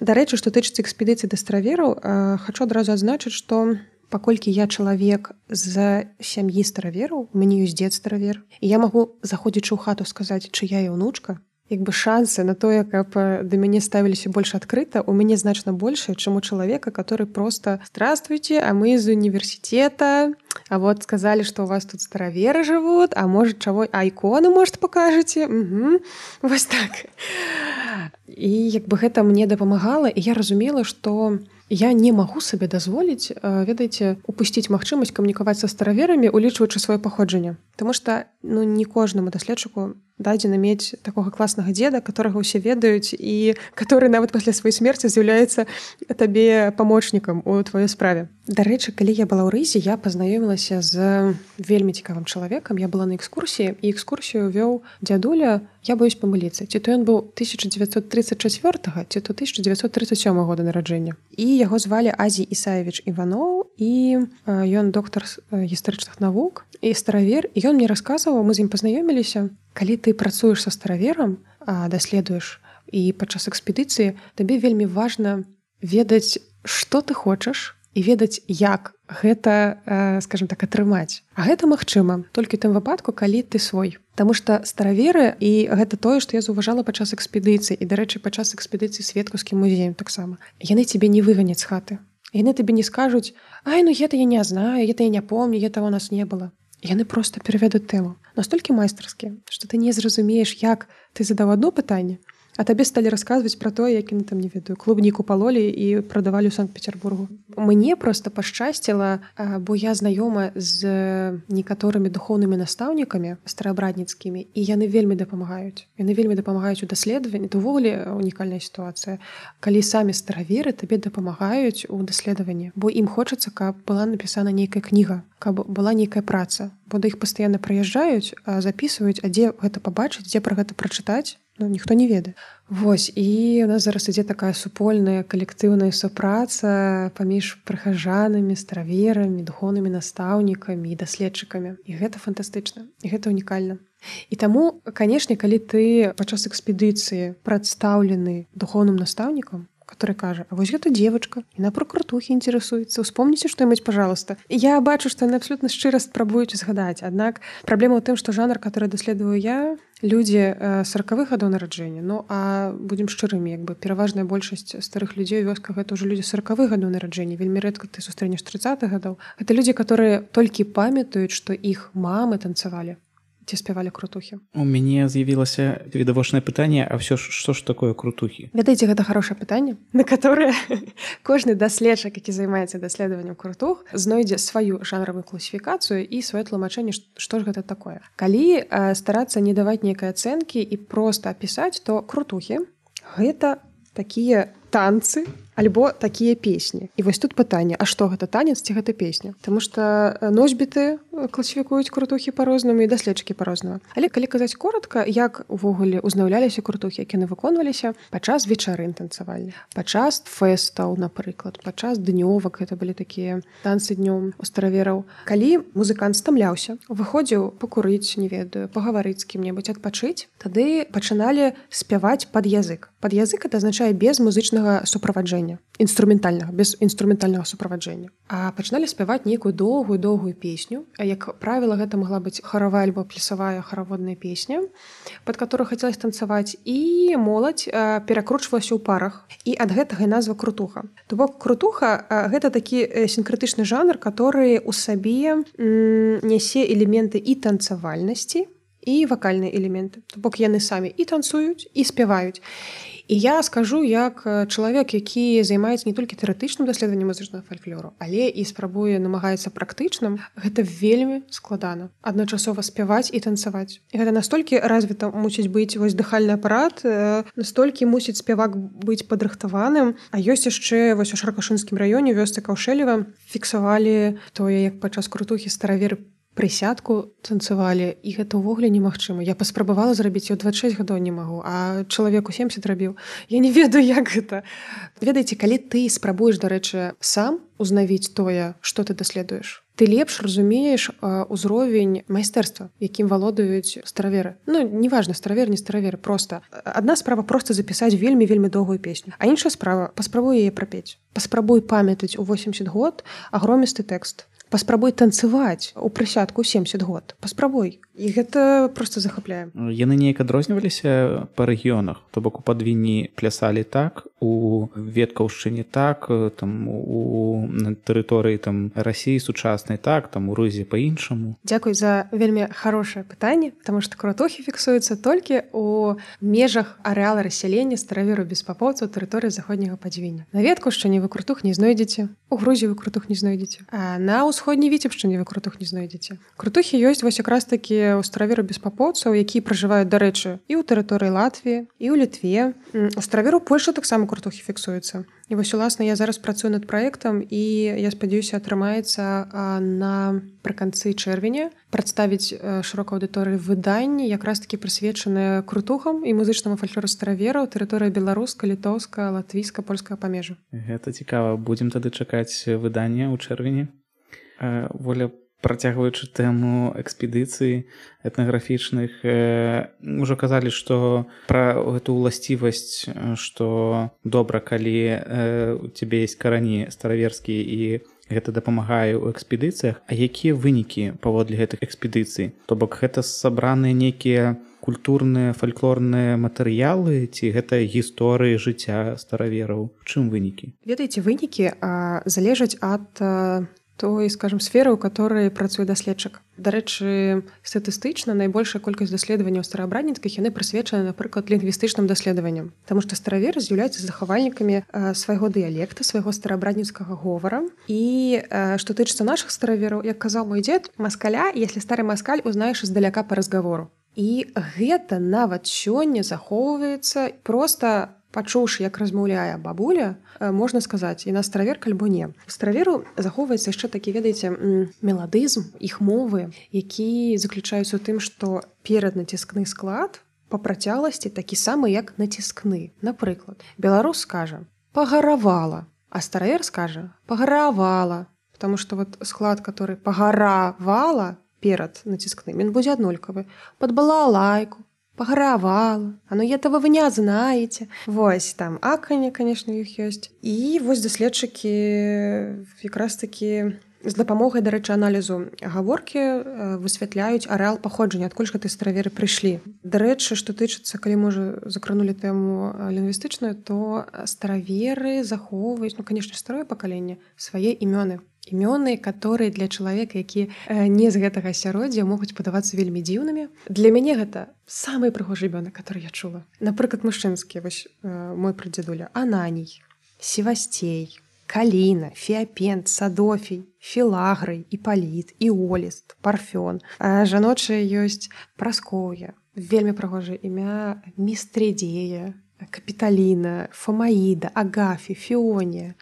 Дарэчы, што тычыцца экспедыцыі да старавераў, хачу адразу адзначыць, што паколькі я чалавек з сям'і старавераў, у мяне ёсць дзед старавер, і я магу, заходзячы ў хату, сказаць, чыя я ўнучка, як бы шансы на тое, каб да мяне ставіліся больш адкрыта, у мяне значна большая, чым у чалавека, который просто: "Здравствуйте, а мы з універсітэта, а вот сказали, что у вас тут стараверы жывут, а может, чаго, а іконы, может, покажаце?" Угу. Вось так. І як бы гэта мне дапамагала, і я разумела, што я не магу сабе дазволіць, ведаеце, упусціць магчымасць камунікаваць са стараверамі, улічваючы сваё паходжанне. Таму што ну не кожнаму даследчыку дадзена мець такога класнага дзеда, которого ўсе ведаюць і который нават пасля сваёй смерці з'яўляецца табе памочнікам у тваёй справе. Дарэчы, калі я была ў Рызе, я пазнаёмілася з вельмі цікавым чалавекам. Я была на экскурсіі, і экскурсію вёў дзядуля, я боюсь памыліцца, ці то ён быў тысяча дзевяцьсот тридцать чацвёртага, ці то тысяча дзевяцьсот тридцать сёмага года нараджэння. І яго звалі Азій Ісаевіч Іваноў, і ён доктар гістарычных навук і старавер, і ён мне расказваў, мы з ім пазнаёміліся. Калі ты працуеш са стараверам, даследуеш і падчас экспедыцыі, табе вельмі важна ведаць, што ты хочаш і ведаць, як гэта, скажем так, атрымаць. А гэта магчыма толькі тым выпадку, калі ты свой. Таму што стараверы, і гэта тое, што я заўважала падчас экспедыцыі, і, дарэчы, падчас экспедыцыі Светкаўскім музеем таксама. Яны цябе не выганяць з хаты. Яны табе не скажуць: «Ай, ну гэта я не знаю, гэта я не помню, этого у нас не было». Яны проста перавядуць тэму. Настолькі майстарскія, што ты не зразумееш, як ты задаў одно пытанне, а табе сталі расказваць пра тое, як яны там, не ведаю, клубніку палолі і прадавалі ў Санкт-Петербургу. Мне проста пашчасціла, бо я знаёма з некаторымі духоўнымі настаўнікамі стараабрадніцкімі, і яны вельмі дапамагаюць. Яны вельмі дапамагаюць у даследаванні. Это ўвогуле унікальная сітуацыя. Калі самі стараверы табе дапамагаюць у даследаванні, бо ім хочацца, каб была напісана нейкая кніга, каб была нейкая праца. Бо да іх пастаянна прыязджаюць, запісваюць, а дзе гэта пабачыць, дзе пра гэта прачытаць, ну, ніхто не ведае. Вось, і у нас зараз ідзе такая супольная калектыўная супраца паміж прыхаджанамі, стараверамі, духоўнымі настаўнікамі і даследчыкамі. І гэта фантастычна, і гэта унікальна. І таму, канешне, калі ты падчас экспедыцыі прадстаўлены духоўным настаўнікам, который кажа: «А вось гэта девочка, яна пра крутухі інтарэсуецца, успомніце што-небудзь, пожалуйста». Я бачу, што яны абсолютна шчыра спрабуюць згадаць. Аднак праблема ў тым, што жанр, который даследую я, людзі сорокавых гадоў нараджэння. Ну, а будзем шчырымі, як бы пераважная большасць старых людзей у вёсках — гэта ўжо людзі сорокавых гадоў нараджэння. Вельмі рэдка ты сустрэнеш трыццатых гадоў. Гэта людзі, которые толькі памятаюць, што іх мамы танцавалі ці спявалі крутухі. У мяне з'явілася відавочнае пытанне: а ўсё ж, што ж такое крутухі? Ведаеце, гэта хорошае пытанне, на которое кожны даследчык, які займаецца даследаваннем крутух, знойдзе сваю жанравую класіфікацыю і сваё тлумачэнне, што ж гэта такое. Калі э, старацца не даваць нейкай ацэнкі і проста апісаць, то крутухі — гэта такія танцы альбо такія песні. І вось тут пытанне: а што гэта, танец ці гэта песня? Таму што носьбіты класіфікуюць крутухі па-рознаму і даследчыкі па-рознаму. Але калі казаць коротка, як увогуле узнаўляліся крутухі, як яны выконваліся падчас вечарын танцавальных, падчас фэстаў, напрыклад, падчас днёвак, гэта былі такія танцы днём у старавераў. Калі музыкант стамляўся, выходзіў пакурыць, не ведаю, пагаварыць з кім-небудзь, адпачыць, тады пачыналі спяваць пад язык. Пад язык — это азначае без музычнага суправаджэння, інструментальнага, без інструментальнага суправаджэння. А пачыналі спяваць нейкую доўгую доўгую песню. А як правіла, гэта магла быць харавая альбо плясавая хараводная песня, пад которую хацелася танцаваць, і моладзь перакручвалася ў парах. І ад гэтага і назва крутуха. То бок крутуха — гэта такі сінкрэтычны жанр, который у сабе нясе элементы і танцавальнасці, і вакальныя элементы. То бок яны самі і танцуюць, і спяваюць. І я скажу, як чалавек, які займаецца не толькі тэарэтычным даследаваннем музычнага фальклору, але і спрабуе намагаецца практычным, гэта вельмі складана. Адначасова спяваць і танцаваць. І гэта настолькі развіта мусіць быць вось дыхальны апарат, настолькі мусіць спявак быць падрыхтаваным. А ёсць яшчэ вось у Шаркашынскім раёне, вёсцы Каўшэлева, фіксавалі тое, як падчас крутухі стараверы прысядку танцавалі, і гэта ўвогуле немагчыма. Я паспрабавала зрабіць, я ў дваццаць шэсць гадоў не магу, а чалавек у семьдесят рабіў. Я не ведаю, як гэта. Ведаеце, калі ты спрабуеш, дарэчы, сам узнавіць тое, што ты даследуеш, ты лепш разумееш узровень майстэрства, якім валодаюць стараверы. Ну, неважна, старавер, не стараверы, проста. Адна справа проста запісаць вельмі-вельмі доўгую песню, а іншая справа — паспрабуй яе прапець. Паспрабуй памятаць у восемьдесят год агромісты тэкст. Паспрабуй танцаваць у прысядку ў семьдесят год. Паспрабуй. І гэта проста захапляе. Яны неяк адрозніваліся па рэгіёнах. То бок у Падвінні плясалі так, у Веткаўшчыне так, там у тэрыторыі там Расіі сучаснай так, там у Рызе па-іншаму. Дзякуй за вельмі хорошае пытанне, таму што крутухі фіксуюцца толькі ў межах арэала рассялення стараверу без папоўцаў тэрыторыі заходняга Падвіння. На Веткаўшчыне вы крутух не знойдзеце, у Грузіі вы крутух не знойдзеце. А на ўсходняй Віцебшчыне вы крутух не знойдзеце. Крутухі ёсць вось якраз такі ў стараверу беспапоўцаў, якія пражываюць, дарэчы, і ў тэрыторыі Латвіі, і ў Літве. У стараверу Польшы таксама крутухі фіксуюцца. І вось, уласна, я зараз працую над праектам, і я спадзяюся, атрымаецца напрыканцы чэрвеня прадставіць шырокай аўдыторыі выданні, якраз такі прысвечаныя крутухам і музычнаму фальклору старавераў, тэрыторыя беларуска, літоўска, латвійска, польскага памежжа. Гэта цікава. Будзем тады чакаць выдання ў чэрвені. Воля, працягваючы тэму экспедыцый этнаграфічных, ўжо казалі, што пра гэту ўласцівасць, што добра, калі у цябе ёсць карані стараверскія і гэта дапамагае ў экспедыцыях. А якія вынікі паводле гэтых экспедыцый? То бок гэта сабраныя нейкія культурныя, фальклорныя матэрыялы ці гэта гісторыі жыцця старавераў? Чым вынікі? Ведаеце, вынікі залежаць ад той, скажем, сферы, у которой працуе даследчык. Дарэчы, статыстычна найбольшая колькасць даследаванняў стараабрадніцкіх яны прысвечаны, напрыклад, лінгвістычным даследаванням. Таму што стараверы з'яўляюцца захавальнікамі свайго дыялекта, свайго стараабрадніцкага говора. І што тычыцца нашых старавераў, як казаў мой дзед, маскаля, если стары маскаль узнаеш издаляка па разгавору. І гэта нават сёння захоўваецца проста пачуўшы, як размаўляе бабуля, можна сказаць, і на стараверка альбо не. У стараверу захоўваецца яшчэ такі, ведаеце, меладызм іх мовы, які заключаюцца ў тым, што пераднаціскны склад па працягласці такі самы, як націскны. Напрыклад, беларус скажа «пагаравала», а старавер скажа «пагаравала», потому што вот склад, который «пагаравала» перад націскным, ён будзе аднолькавы. «Пад балалайку», «пагаравала», «а ну этого вы не знаете». Вось там аканне, конечно, іх ёсць. І вось даследчыкі якраз такі з дапамогай, дарэчы, аналізу гаворкі высвятляюць арэал паходжання, адкуль ж гэтыя стараверы прыйшлі. Дарэчы, што тычыцца, калі мы ўжо закранулі тэму лінгвістычную, то стараверы захоўваюць, ну, конечно, старое пакаленне, свае імёны. Імёны, которые для чалавека, які не з гэтага асяроддзя, могуць падавацца вельмі дзіўнымі. Для мяне гэта самыя прыгожыя імёны, которые я чула. Напрыклад, мужчынскія, вось мой прадзедуля, Ананій, Севастей, Каліна, Феапент, Садофій, Філагрый, Іпаліт, Іоліст, Парфён. А жаночыя ёсць Праскоўя, вельмі прыгожае імя Містрідзея, Капіталіна, Фомаіда, Агафі, Фіонія.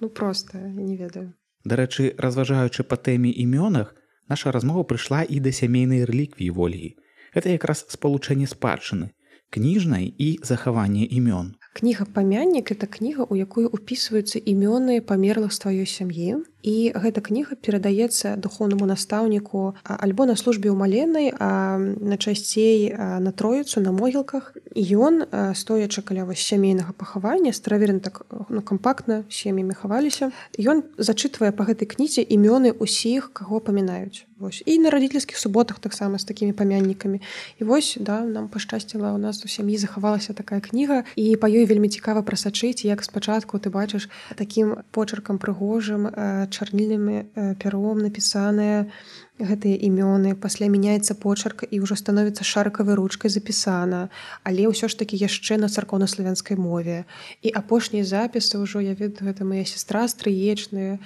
Ну проста, я не ведаю. Дарэчы, разважаючы па тэме імёнах, наша размова прыйшла і да сямейнай рэліквіі Вольгі. Гэта якраз спалучэнне спадчыны, кніжнай і захавання імён. Кніга «Памяннік» — это кніга, у якую ўпісваюцца імёны памерлых з тваёй сям'і. І гэта кніга перадаецца духоўнаму настаўніку альбо на службе ў маленай, а найчасцей на Троіцу, на могілках. І ён, стоячы каля вось сямейнага пахавання, стараверы так, ну, кампактна сем'ямі хаваліся, ён зачытвае па гэтай кнізе імёны ўсіх, каго памінаюць. Вось. І на радзільскіх суботах таксама з такімі памяннікамі. І вось, да, нам пашчасціла, у нас у сям'і захавалася такая кніга, і па ёй вельмі цікава прасачыць, як спачатку ты бачыш такім почеркам прыгожым, чарнільным пяром напісаныя гэтыя імёны, пасля мяняецца почерк і ўжо становіцца шарыкавай ручкай запісана, але ўсё ж такі яшчэ на царкоўна-славянскай мове. І апошнія запісы ўжо, я ведаю, гэта моя сестра стрыечная,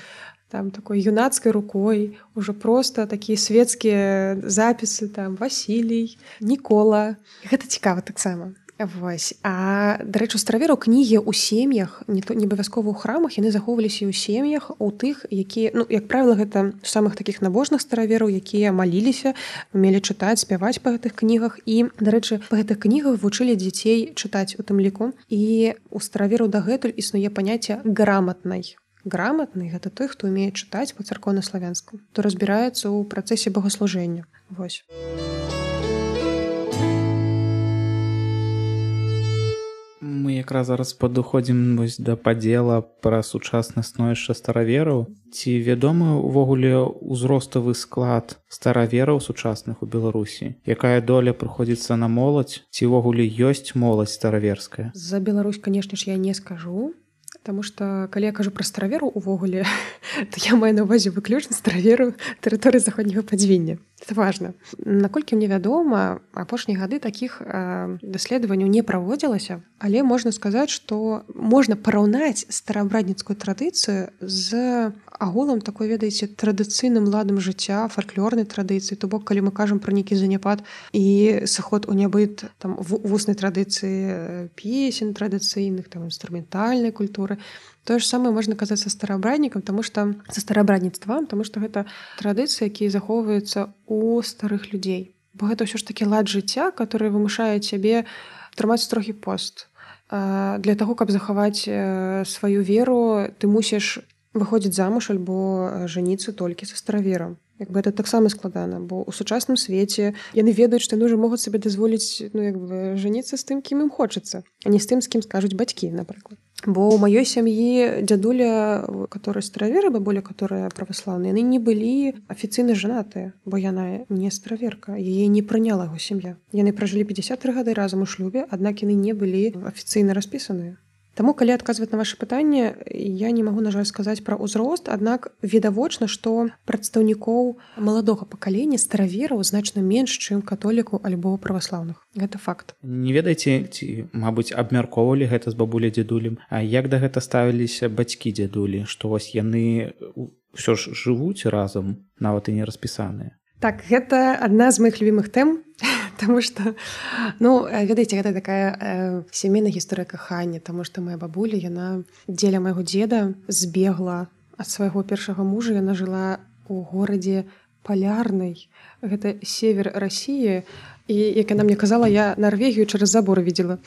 там такой юнацкай рукой, ўжо проста такія свецкія запісы, там Васілій, Нікола. Гэта цікава таксама. Вось. А, дарэчы, у старавераў кнігі ў сем'ях, не, не абавязкова ў храмах, яны захоўваліся і ў сем'ях, у тых, якія, ну, як правіла, гэта самых такіх набожных старавераў, якія маліліся, умелі чытаць, спяваць па гэтых кнігах. І, дарэчы, па гэтых кнігах вучылі дзяцей чытаць у тым ліку. І у старавераў дагэтуль існуе паняцце граматнай. Граматны — гэта той, хто умее чытаць па царкоўна-славянску, хто разбіраецца ў працэсе богаслужэння. Вось. Мы якраз зараз падыходзім вось да падзела пра сучаснае становішча старавераў. Ці вядомы ўвогуле ўзроставы склад старавераў сучасных у Беларусі? Якая доля прыходзіцца на моладзь? Ці ўвогуле ёсць моладзь стараверская? За Беларусь, канешне ж, я не скажу. Таму што калі я кажу пра стараверу увогуле, то я маю на ўвазе выключна стараверу тэрыторыі заходняга падзвіння. Это важна. Наколькі мне вядома, апошнія гады такіх э, даследаванняў не праводзілася, але можна сказаць, што можна параўнаць стараабрадніцкую традыцыю з агулам такой, ведаеце, традыцыйным ладам жыцця, фальклорнай традыцыі. То бок, калі мы кажам пра нейкі заняпад і сыход у нябыт там вуснай традыцыі песен традыцыйных, там інструментальнай культуры, тое ж самае можна казаць са стараабраднікам, таму што са стараабрадніцтвам, таму што гэта традыцыі, якія захоўваюцца у старых людзей. Бо гэта ўсё ж такі лад жыцця, который вымушае цябе трымаць строгі пост. Для таго, каб захаваць сваю веру, ты мусіш выходзіць замуж альбо жаніцца толькі са стараверам. Як бы это таксама складана, бо ў сучасным свеце яны ведаюць, што яны ўжо могуць сабе дазволіць, ну, як бы жаніцца з тым, кім ім хочацца, а не з тым, з кім скажуць бацькі, напрыклад. Бо ў маёй сям'і дзядуля, которые стараверы, бабуля, которая праваслаўная, яны не былі афіцыйна жанатыя, бо яна не стараверка, яе не прыняла яго сям'я. Яны пражылі пятьдесят тры гады разам у шлюбе, аднак яны не былі афіцыйна распісаныя. Таму, калі адказваць на ваше пытанне, я не магу, на жаль, сказаць пра ўзрост, аднак відавочна, што прадстаўнікоў маладога пакалення старавераў значна менш, чым католіку альбо праваслаўных. Гэта факт. Не ведаеце, ці, мабыць, абмяркоўвалі гэта з бабуляй дзядулем, а як да гэта ставіліся бацькі дзядулі, што вось яны ўсё ж жывуць разам, нават і не распісаныя? Так, гэта адна з маіх любімых тэм, таму што, ну, ведаеце, гэта такая э, сямейная гісторыя кахання, таму што моя бабуля, яна дзеля майго дзеда збегла ад свайго першага мужа, яна жыла ў горадзе Палярнай, гэта север Расіі, і, як яна мне казала, я Нарвегію через забор видела.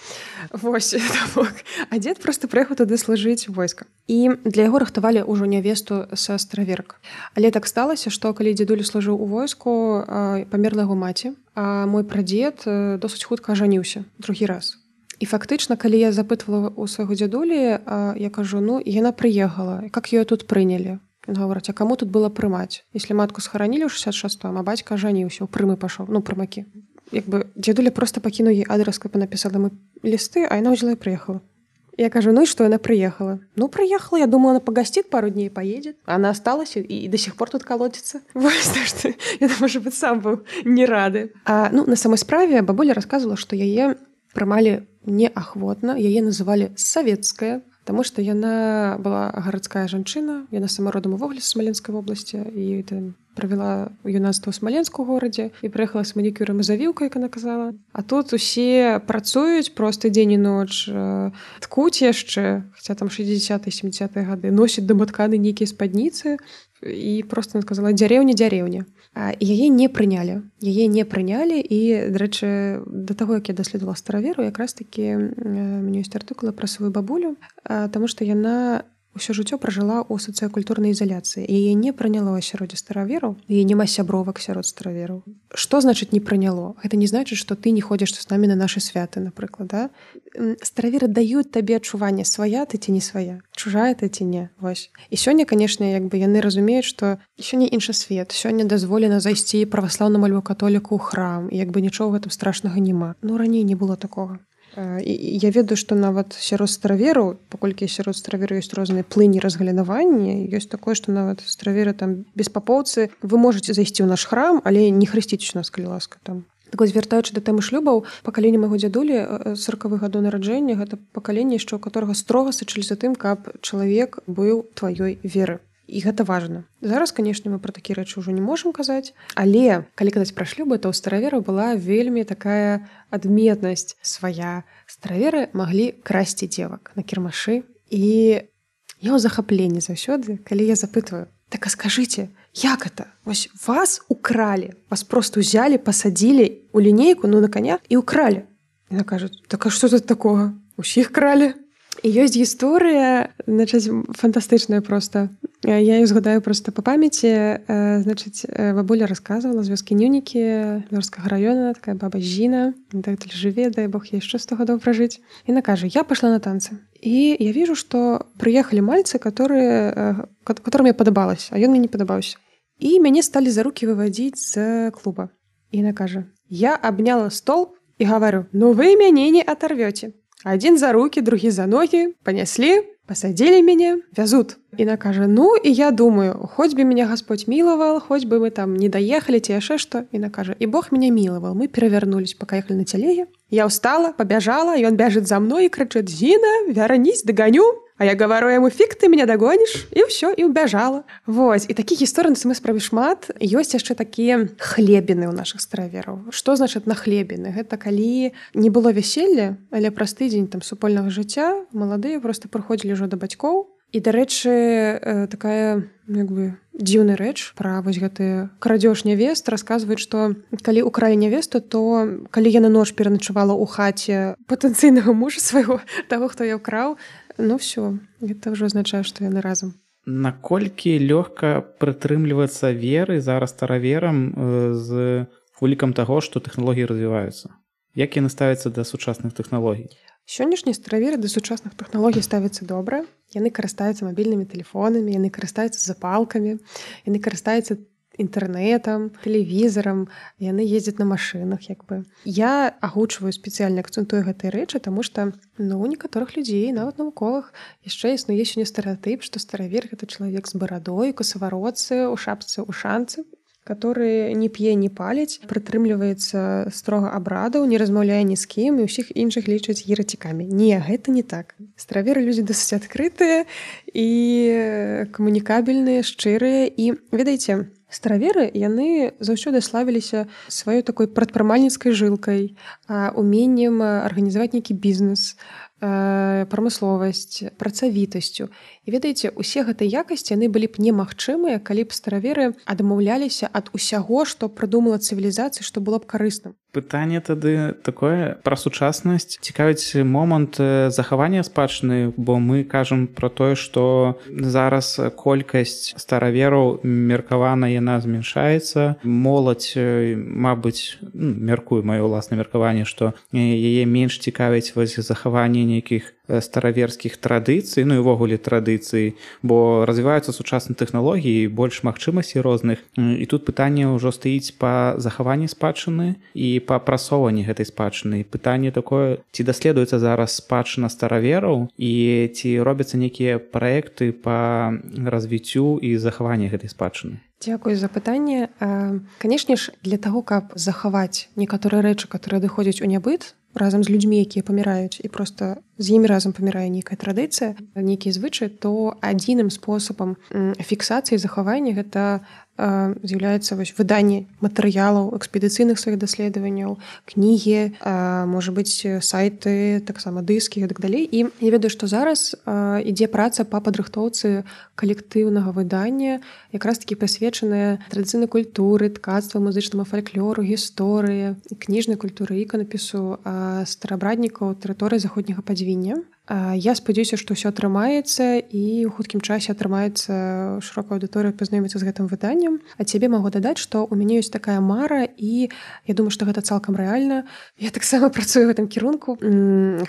Вось, а дзед просто прыехаў туды служыць войска. І для яго рыхтавалі ўжо нявесту са стараверак. Але так сталася, што калі дзедуля служыў у войску, памерла яго маці, а мой прадзед досыць хутка ажаніўся другі раз. І фактычна, калі я запытвала у свайго дзядулі, я кажу, ну, яна прыехала, як ее тут прынялі? Ён гаворыць, а каму тут было прымаць? Если матку схаранілі ў шэсцьдзесят шэстым, а бацька ажаніўся, у прымы пашоў, ну, прымакі. Як бы дзедуля просто пакінуў ей адрес, каб напісала мы лісты, а яна ўзяла і прыехала. Я кажу, ну и что, она приехала? Ну, приехала, я думала, она погостит пару дней и поедет. Она осталась и, и до сих пор тут колотится. Вот, так что я, может быть, сам был не рады. А, ну, на самой справе бабуля рассказывала, что яе прымалі неахвотна, яе называли «советская», потому что яна была гарадская жанчына, яна сама родом увогуле з Смаленскай вобласці, і там правяла юнацтва ў Смаленску горадзе і прыехала з манікюрам і завіўкай, як яна казала. А тут усе працуюць проста дзень і ноч, ткуць яшчэ, хаця там шэсцьдзесятыя сямдзесятыя гады, носяць даматканы нейкія спадніцы, і проста она сказала дзярэўня дзярэўня. І яе не прынялі. Яе не прынялі, і, дарэчы, да таго, як я даследавала стараверу, якраз такі мене ёсць артыкулы пра сваю бабулю, таму што яна ўсё жыццё пражыла ў сацыякультурнай изоляцыі. Яе не прыняло ў асяроддзе старавераў, яе няма сябровак сярод старавераў. Што значыць не прыняло? Гэта не значыць, што ты не ходзіш з намі на нашы святы, напрыклад, да? Стараверы даюць табе адчуванне, свая ты ці не свая, чужая ты ці не. Вось. І сёння, канешне, як бы яны разумеюць, што сёння іншы свет, сёння дазволена зайсці праваслаўнаму альбо католіку ў храм, і як бы нічога гэтым страшнага няма. Ну, раней не было такога. І я ведаю, што нават сярод старавераў, паколькі сярод старавераў ёсць розныя плыні разгалінавання, ёсць такое, што нават стараверы там беспапоўцы, вы можаце зайсці ў наш храм, але не хрысціць нас, калі ласка, там. Так вось, вяртаючы да тэмы шлюбаў, пакаленне майго дзядулі сорокавых гадоў нараджэння, гэта пакаленне, яшчэ ў которага строга сачылі за тым, каб чалавек быў тваёй веры. І гэта важна. Зараз, канешне, мы пра такія рэчы ўжо не можам казаць, але калі казаць пра шлюбы, то ў старавераў была вельмі такая адметнасць свая. Стараверы маглі красці дзевак на кірмашы, і я ў захапленні заўсёды, калі я запытваю, так а скажыце, як это? Вось вас укралі, вас просто ўзялі, пасадзілі ў лінейку, ну на коня, і укралі. Яна кажа, так а што тут такога? Усіх кралі. І ёсць гісторыя, значыць, фантастычная проста. Я її згадаю просто по памяці. Значыць, бабуля рассказывала з вёскі Нюнікі, Мёрскага района, такая баба Жина, так жыве, дай бог ей еще сто годов прожить. И она кажет, я пошла на танцы. И я вижу, что приехали мальцы, которые, которым я подобалась, а ён мне не подобаўся. И мяне стали за руки выводить з клуба. И она кажет, я обняла стол и говорю, ну вы мяне не оторвете. Один за руки, другі за ноги, понесли, пасадзілі мяне, вязут. Іна кажа: ну і я думаю, хоць бы меня Господь миловал, хоць бы мы там не доехали ці яшчэ што. Іна кажа: і Бог меня миловал. Мы перавярнулись, поехали на телеге. Я устала, побежала, и он бежит за мной и кричит: Зина, вернись, догоню. А я говорю ему: фиг ты меня догонишь. И все, и убежала. Вот. И таких историй на самой справе шмат. Есть еще такие хлебины у наших староверов. Что значит на хлебины? Это коли не было веселья, але простый день там супольного життя, молодые просто приходили уже до батьков. І, дарэчы, такая як бы дзіўная рэч пра вось гэты крадзеж нявест расказваюць, што калі укралі нявесту, то калі яна ноч пераначавала ў хаце патэнцыйнага мужа свайго, таго, хто я ўкраў, ну все, гэта ўжо азначае, што яны разам. Наколькі лёгка прытрымлівацца веры зараз стараверам з улікам таго, што тэхналогіі развіваюцца? Як яны ставяцца да сучасных тэхналогій? Сённяшнія стараверы да сучасных тэхналогій ставяцца добра. Яны карыстаюцца мабільнымі тэлефонамі, яны карыстаюцца запалкамі, яны карыстаюцца інтэрнэтам, тэлевізарам, яны ездзяць на машынах як бы. Я агучваю спецыяльна акцэнтую гэтай рэчы, таму што ну, у некаторых людзей, нават навуковых, яшчэ існуе сёння стэрэатып, што старавер гэта чалавек з барадой, косаваротцы, у шапцы, у шанцы, который не п'е, не паліць, прытрымліваецца строга абрадаў, не размаўляе ні з кім і ўсіх іншых лічаць еретикамі. Не, гэта не так. Стараверы людзі досыць адкрытыя і камунікабельныя, шчырыя. І, ведаеце, стараверы, яны заўсёды славіліся сваёй такой прадпрымальніцкай жылкай, уменнем арганізаваць нейкі бізнес, прамысловасць, працавітасцю. І ведаеце, усе гэтыя якасці яны былі б немагчымыя, калі б стараверы адмаўляліся ад усяго, што прыдумала цывілізацыя, што было б карысным. Пытанне тады такое пра сучаснасць. Цікавіць момант захавання спадчыны, бо мы кажам пра тое, што зараз колькасць старавераў меркавана яна змяншаецца. Моладзь, мабыць, ну, мяркую маё ўласнае меркаванне, што яе менш цікавіць вось захаванне нейкіх стараверскіх традыцый, ну і ўвогуле традыцый, бо развіваюцца сучасныя тэхналогіі, больш магчымасцей розных. І тут пытанне ўжо стаіць па захаванні спадчыны і па прасоўванні гэтай спадчыны. Пытанне такое: ці даследуецца зараз спадчына старавераў і ці робяцца нейкія праекты па развіццю і захаванні гэтай спадчыны? Дзякуй за пытанне. Канешне ж, для таго, каб захаваць некаторыя рэчы, которые адыходзяць у нябыт, разам з людзьмі, якія паміраюць, і проста з імі разам памірае нейкая традыцыя, нейкія звычаі, то адзіным спосабам фіксацыі захавання гэта з'яўляецца вось выданне матэрыялаў, экспедыцыйных сваіх даследаванняў, кнігі, можа быць, сайты, таксама дыскі і так далей. І я ведаю, што зараз ідзе праца па падрыхтоўцы калектыўнага выдання, якраз такі прысвечаная традыцыйнай культуры, ткацтва, музычнаму фальклору, гісторыі, кніжнай культуры, іканапісу старабраднікаў тэрыторыі заходняга падзвіння. Я спадзяюся, што ўсё атрымаецца і ў хуткім часе атрымаецца шырокая аўдыторыя пазнаёміцца з гэтым выданнем. А цябе магу дадаць, што ў мяне ёсць такая мара, і я думаю, што гэта цалкам рэальна. Я таксама працую ў гэтым кірунку.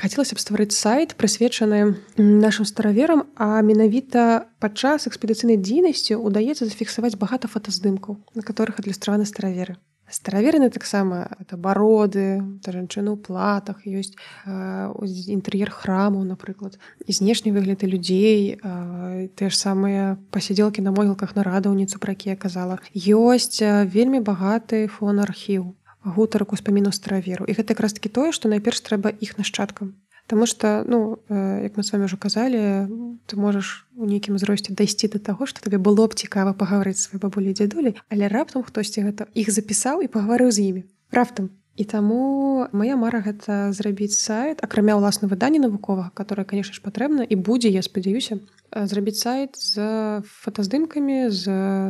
Хацелася б стварыць сайт, прысвечаны нашым стараверам, а менавіта падчас экспедыцыйнай дзейнасці ўдаецца зафіксаваць багата фотаздымкаў, на которых адлюстраваны стараверы. Стараверы таксама это бароды, это жанчыны ў платах, ёсць э, інтэр'ер храмаў, напрыклад, і знешні выгляды людзей, э, тыя ж самыя пасядзелкі на могілках нарадаўніцу, пра якія казала. Ёсць э, вельмі багаты фон-архіў, гутарак успамінаў стараверу. І гэта якраз такі тое, што найперш трэба іх нашчадкам. Таму што, ну, як мы з вами ўжо казалі, ты можаш у нейкім узросце дайсці да таго, што табе было б цікава пагаварыць сваёй бабулі і дзядулі, але раптам хтосьці гэта іх запісаў і пагаварыў з імі. Раптам. І таму моя мара гэта зрабіць сайт, акрамя ўласна выдання навуковага, которое, конечно ж, патрэбна і будзе, я спадзяюся, зрабіць сайт з фотаздымкамі, з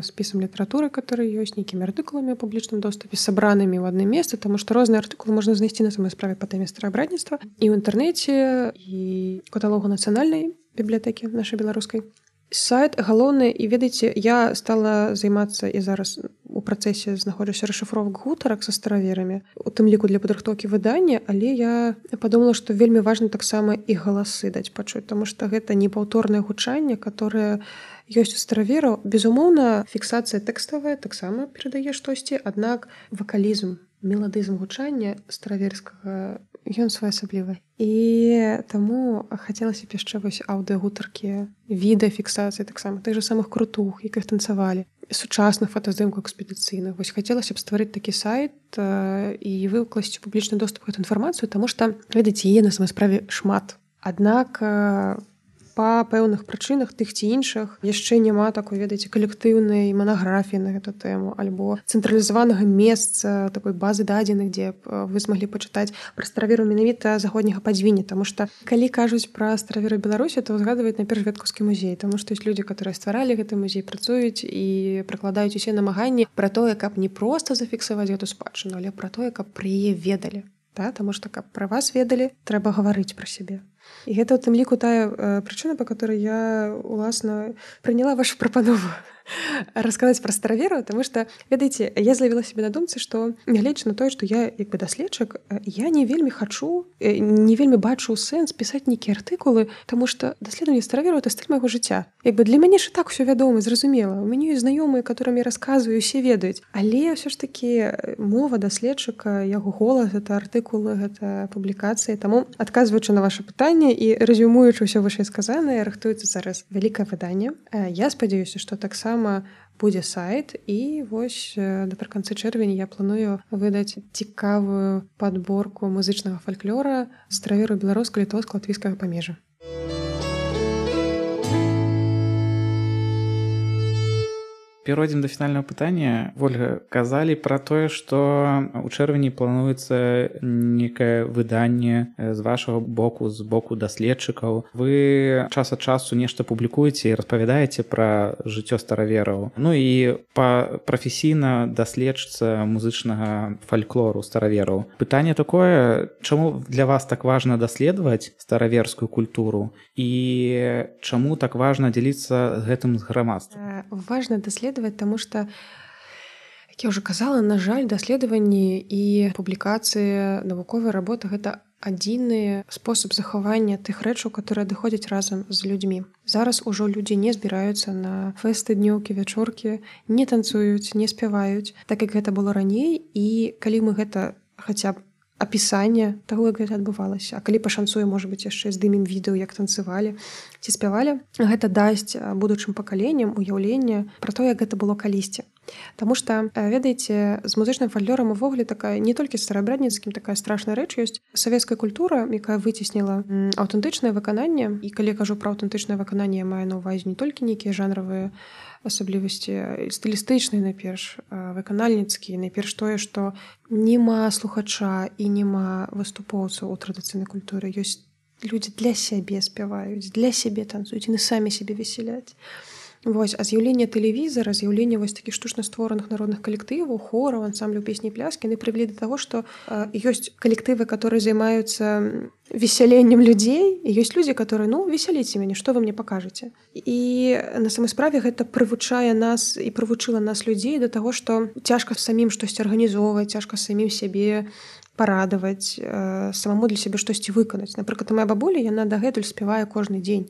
спісам літаратуры, который ёсць, нейкімі артыкуламі ў публічным доступе, сабранымі ў адным месцы, таму што розныя артыкулы можна знайсці на самой справе па тэме стараабрадніцтва і ў інтэрнэце, і каталогу нацыянальнай бібліятэкі нашай беларускай. Сайт галоўны, і ведаеце, я стала займацца і зараз у працэсе знаходжуся расшыфровак гутарак са стараверамі, у тым ліку для падрыхтоўкі выдання, але я падумала, што вельмі важна таксама і галасы даць пачуць, таму што гэта непаўторнае гучанне, которое ёсць у старавераў. Безумоўна, фіксацыя тэкставая таксама перадае штосьці, аднак вакалізм, меладызм гучання стараверскага ён своеасаблівы. І таму хацелася б яшчэ вось аўдыагутаркі, відэафіксацыі таксама тых же самых крутух, якіх танцавалі, сучасных фотаздымкаў экспедыцыйных. Вось хацелася б стварыць такі сайт і выкласці публічны доступ к гэту інфармацыю, таму што, ведаеце, яе на самой справе шмат. Аднак па пэўных прычынах тых ці іншых яшчэ няма такой, ведаеце, калектыўнай манаграфіі на гэту тэму альбо цэнтралізаванага месца, такой базы дадзеных, дзе вы змаглі пачытаць пра стараверу менавіта заходняга падзвіння. Таму што калі кажуць пра стараверу Беларусі, то згадваюць найперш Веткаўскі музей, таму што ёсць людзі, которые стваралі гэты музей, працуюць і прыкладаюць усе намаганні пра тое, каб не проста зафіксаваць гэту спадчыну, але пра тое, каб пра яе ведалі. Да? Таму што каб пра вас ведалі, трэба гаварыць пра сябе. І гэта ў тым ліку тая э, прычына, па которой я, уласна, прыняла вашу прапанову расказаць пра стараверу, таму што, ведаеце, я злавіла сябе на думцы, што нягледзячы на тое, што я як бы даследчык, я не вельмі хачу, не вельмі бачу сэнс пісаць нейкія артыкулы, таму што даследаванне стараверу — это стыль майго жыцця. Як бы для мяне ж і так усё вядома, зразумела. У мяне ёсць знаёмыя, которым я расказваю, усе ведаюць. Але ўсё ж такі мова даследчыка, яго голас — гэта артыкулы, гэта публікацыі. Таму, адказваючы на ваше пытанне і рэзюмуючы ўсё вышэйсказанае, рыхтуецца зараз вялікае выданне. Я спадзяюся, што таксама будзе сайт, і вось напрыканцы чэрвеня я планую выдаць цікавую падборку музычнага фальклора стараверу беларуска-літоўска-латвійскага памежжа. Перайдзем да фінальнага пытання. Вольга, казалі пра тое, што ў чэрвені плануецца некае выданне з вашага боку, з боку даследчыкаў. Вы час ад часу нешта публікуеце і распавядаеце пра жыццё старавераў. Ну і па прафесійна даследчыца музычнага фальклору старавераў. Пытанне такое, чаму для вас так важна даследаваць стараверскую культуру і чаму так важна дзяліцца гэтым з грамадствам? Важна даследаваць, таму што, як я ўжо казала, на жаль, даследаванні і публікацыі навуковай работы — гэта адзіны спосаб захавання тых рэчаў, которые адыходзяць разам з людзьмі. Зараз ужо людзі не збіраюцца на фэсты, днёўкі, вячоркі, не танцуюць, не спяваюць, так як гэта было раней. І калі мы гэта хаця б апісанне таго, як гэта адбывалася, а калі пашанцуе, можа быць, яшчэ здымем відэо, як танцавалі ці спявалі, гэта дасць будучым пакаленням уяўленне пра то, як гэта было калісьці. Таму што, ведаеце, з музычным фальклорам увогуле такая, не толькі з старабрядніцкім, такая страшная рэч ёсць. Савецкая культура, якая выцесніла аўтэнтычнае выкананне, і калі кажу пра аўтэнтычнае выкананне, я маю на ўвазе не толькі нейкія жанравыя асаблівасці, стылістычныя найперш, выканальніцкія, найперш тое, што нема слухача і нема выступоўцаў у традыцыйнай культуры. Ёсць людзі для сябе спяваюць, для сябе танцуюць, яны самі сябе весяляць. Вось, а з'яўленне тэлевізара, з'яўленне вось такіх штучна створаных народных калектываў, хораў, ансамбляў песні і пляскі, яны прывялі да таго, што э, ёсць калектывы, которые займаюцца весяленнем людзей, і ёсць людзі, которые, ну, весяліце мяне, што вы мне пакажаце. І на самой справе гэта прывучае нас і прывучыла нас людзей да таго, што цяжка самім штосьці арганізоўваць, цяжка самім сябе парадаваць, э, самому для сябе штосьці выканаць. Напрыклад, моя бабуля, яна дагэтуль спявае кожны дзень.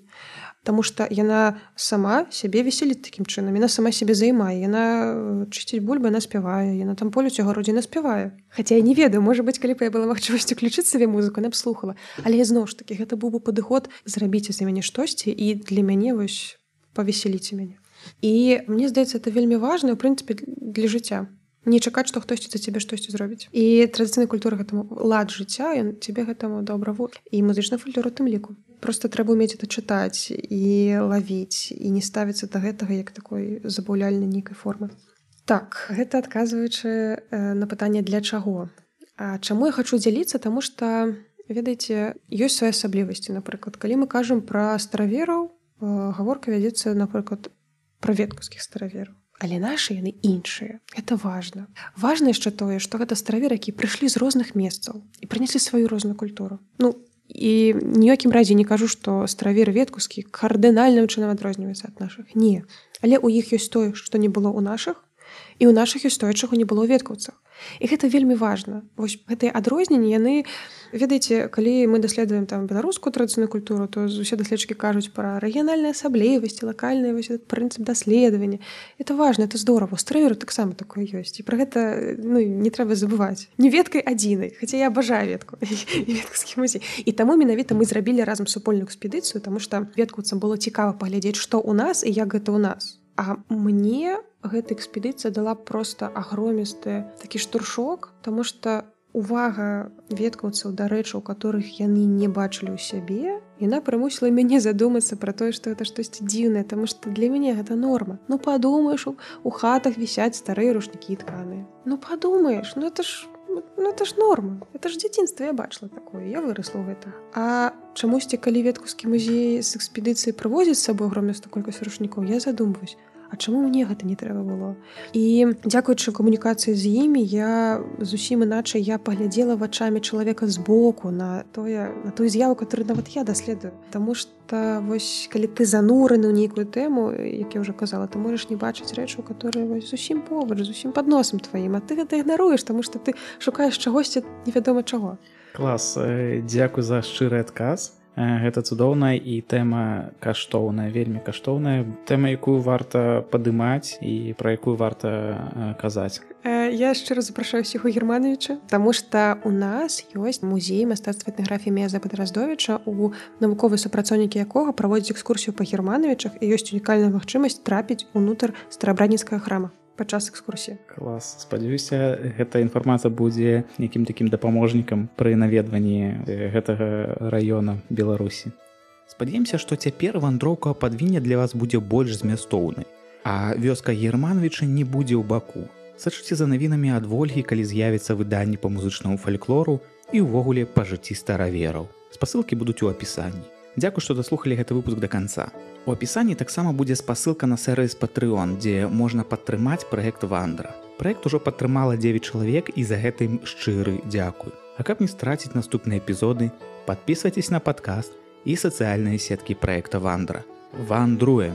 Таму што яна сама сябе весяліць такім чынам, яна сама сябе займае, яна чысціць бульбы, яна спявае, яна там полюць у гародзе, яна спявае. Хаця я не ведаю, можа быць, калі б я была магчымасць уключыць сабе музыку, яна б слухала. Але зноў ж такі, гэта быў бы падыход, зрабіце за мяне штосьці і для мяне вось павесяліце мяне. І мне здаецца, это вельмі важна, у прынцыпе, для жыцця. Не чакаць, што хтосьці за цябе штосьці зробіць. І традыцыйная культура гэтаму лад жыцця, ён цябе гэтаму добра вучыць. І музычны фальклор у тым ліку. Проста трэба ўмець это чытаць і лавіць, і не ставіцца да гэтага як такой забаўляльнай нейкай формы. Так, гэта адказваючы на пытанне «для чаго?». А чаму я хачу дзяліцца? Таму што, ведаеце, ёсць свае асаблівасці. Напрыклад, калі мы кажам пра старавераў, гаворка вядзецца, напрыклад, пра веткаўскіх старавераў. Але нашы яны іншыя. Гэта важна. Важна яшчэ тое, што гэта стараверы, якія прыйшлі з розных месцаў і прынеслі сваю розную культуру. Ну, і ніякім разе не кажу, што стараверы веткаўскі кардынальным чынам адрозніваюцца ад нашых. Не. Але ў іх ёсць тое, што не было ў нашых, і ў нашых гісторыях чаго не было ў веткаўцах. І гэта вельмі важна. Вось гэтыя адрозненні, яны, ведаеце, калі мы даследуем там беларускую традыцыйную культуру, то усе даследчыкі кажуць пра рэгіянальныя асаблівасці, лакальныя вось прынцып даследавання. Это важна, это здорово. У стравіру таксама такое ёсць. І пра гэта ну, не трэба забываць. Не веткай адзінай, хаця я абажаю ветку і веткаўскі музей. І таму менавіта мы зрабілі разам супольную экспедыцыю, таму што веткаўцам было цікава паглядзець, што ў нас і як гэта ў нас. А мне гэта экспедыцыя дала проста агромісты такі штуршок, таму што увага веткаўцаў да рэчаў, которых яны не бачылі ў сябе, яна прымусіла мяне задумацца пра тое, што гэта штосьці дзіўнае, таму што для мяне гэта норма. Ну падумаеш, у хатах вісяць старыя рушнікі тканыя. Ну падумаеш, ну это ж ну это ж норма. Это ж дзяцінства я бачыла такое, я вырасла ў гэта. А чамусьці, калі веткаўскі музей з экспедыцыі прывозіць з сабой агромністую колькасць рушнікоў, я задумваюсь, а чаму мне гэта не трэба было? І дзякуючы камунікацыі з імі, я зусім іначай я паглядзела вачамі чалавека збоку на тое, на тую з'яву, которую нават я даследую. Таму што вось калі ты занураны ў нейкую тэму, як я ўжо казала, ты можаш не бачыць рэчаў, которые вось зусім побач, зусім пад носам тваім, а ты гэта ігнаруеш, таму што ты шукаеш чагосьці невядома чаго. Клас, дзякуй за шчыры адказ. Гэта цудоўная і тэма каштоўная, вельмі каштоўная, тэма, якую варта падымаць і пра якую варта казаць. Я шчыра запрашаю ўсіх у Германовича, таму што ў нас ёсць музей мастацтва этнаграфіі Меза Падраздовіча, у навуковыя супрацоўнікі якога праводзяць экскурсію па Германовичах і ёсць унікальная магчымасць трапіць унутр старабратніцкага храма падчас экскурсіі. Клас. Спадзяюся, гэта інфармацыя будзе якім такім дапаможнікам пры наведванні гэтага раёна Беларусі. Спадзяемся, што цяпер вандроўка падвіння для вас будзе больш змястоўнай, а вёска Германовича не будзе ў баку. Сачыце за навінамі ад Вольгі, калі з'явіцца выданні па музычнаму фальклору і ўвогуле па жыцці старавераў. Спасылкі будуць у апісанні. Дзякуй, што даслухалі гэты выпуск да канца. У апісанні таксама будзе спасылка на сервіс Patreon, дзе можна падтрымаць праект Вандра. Праект ужо падтрымала дзевяць чалавек і за гэта ім шчыры дзякуй. А каб не страціць наступныя эпізоды, падпісвайцеся на падкаст і сацыяльныя сеткі праекта Вандра. Вандруем!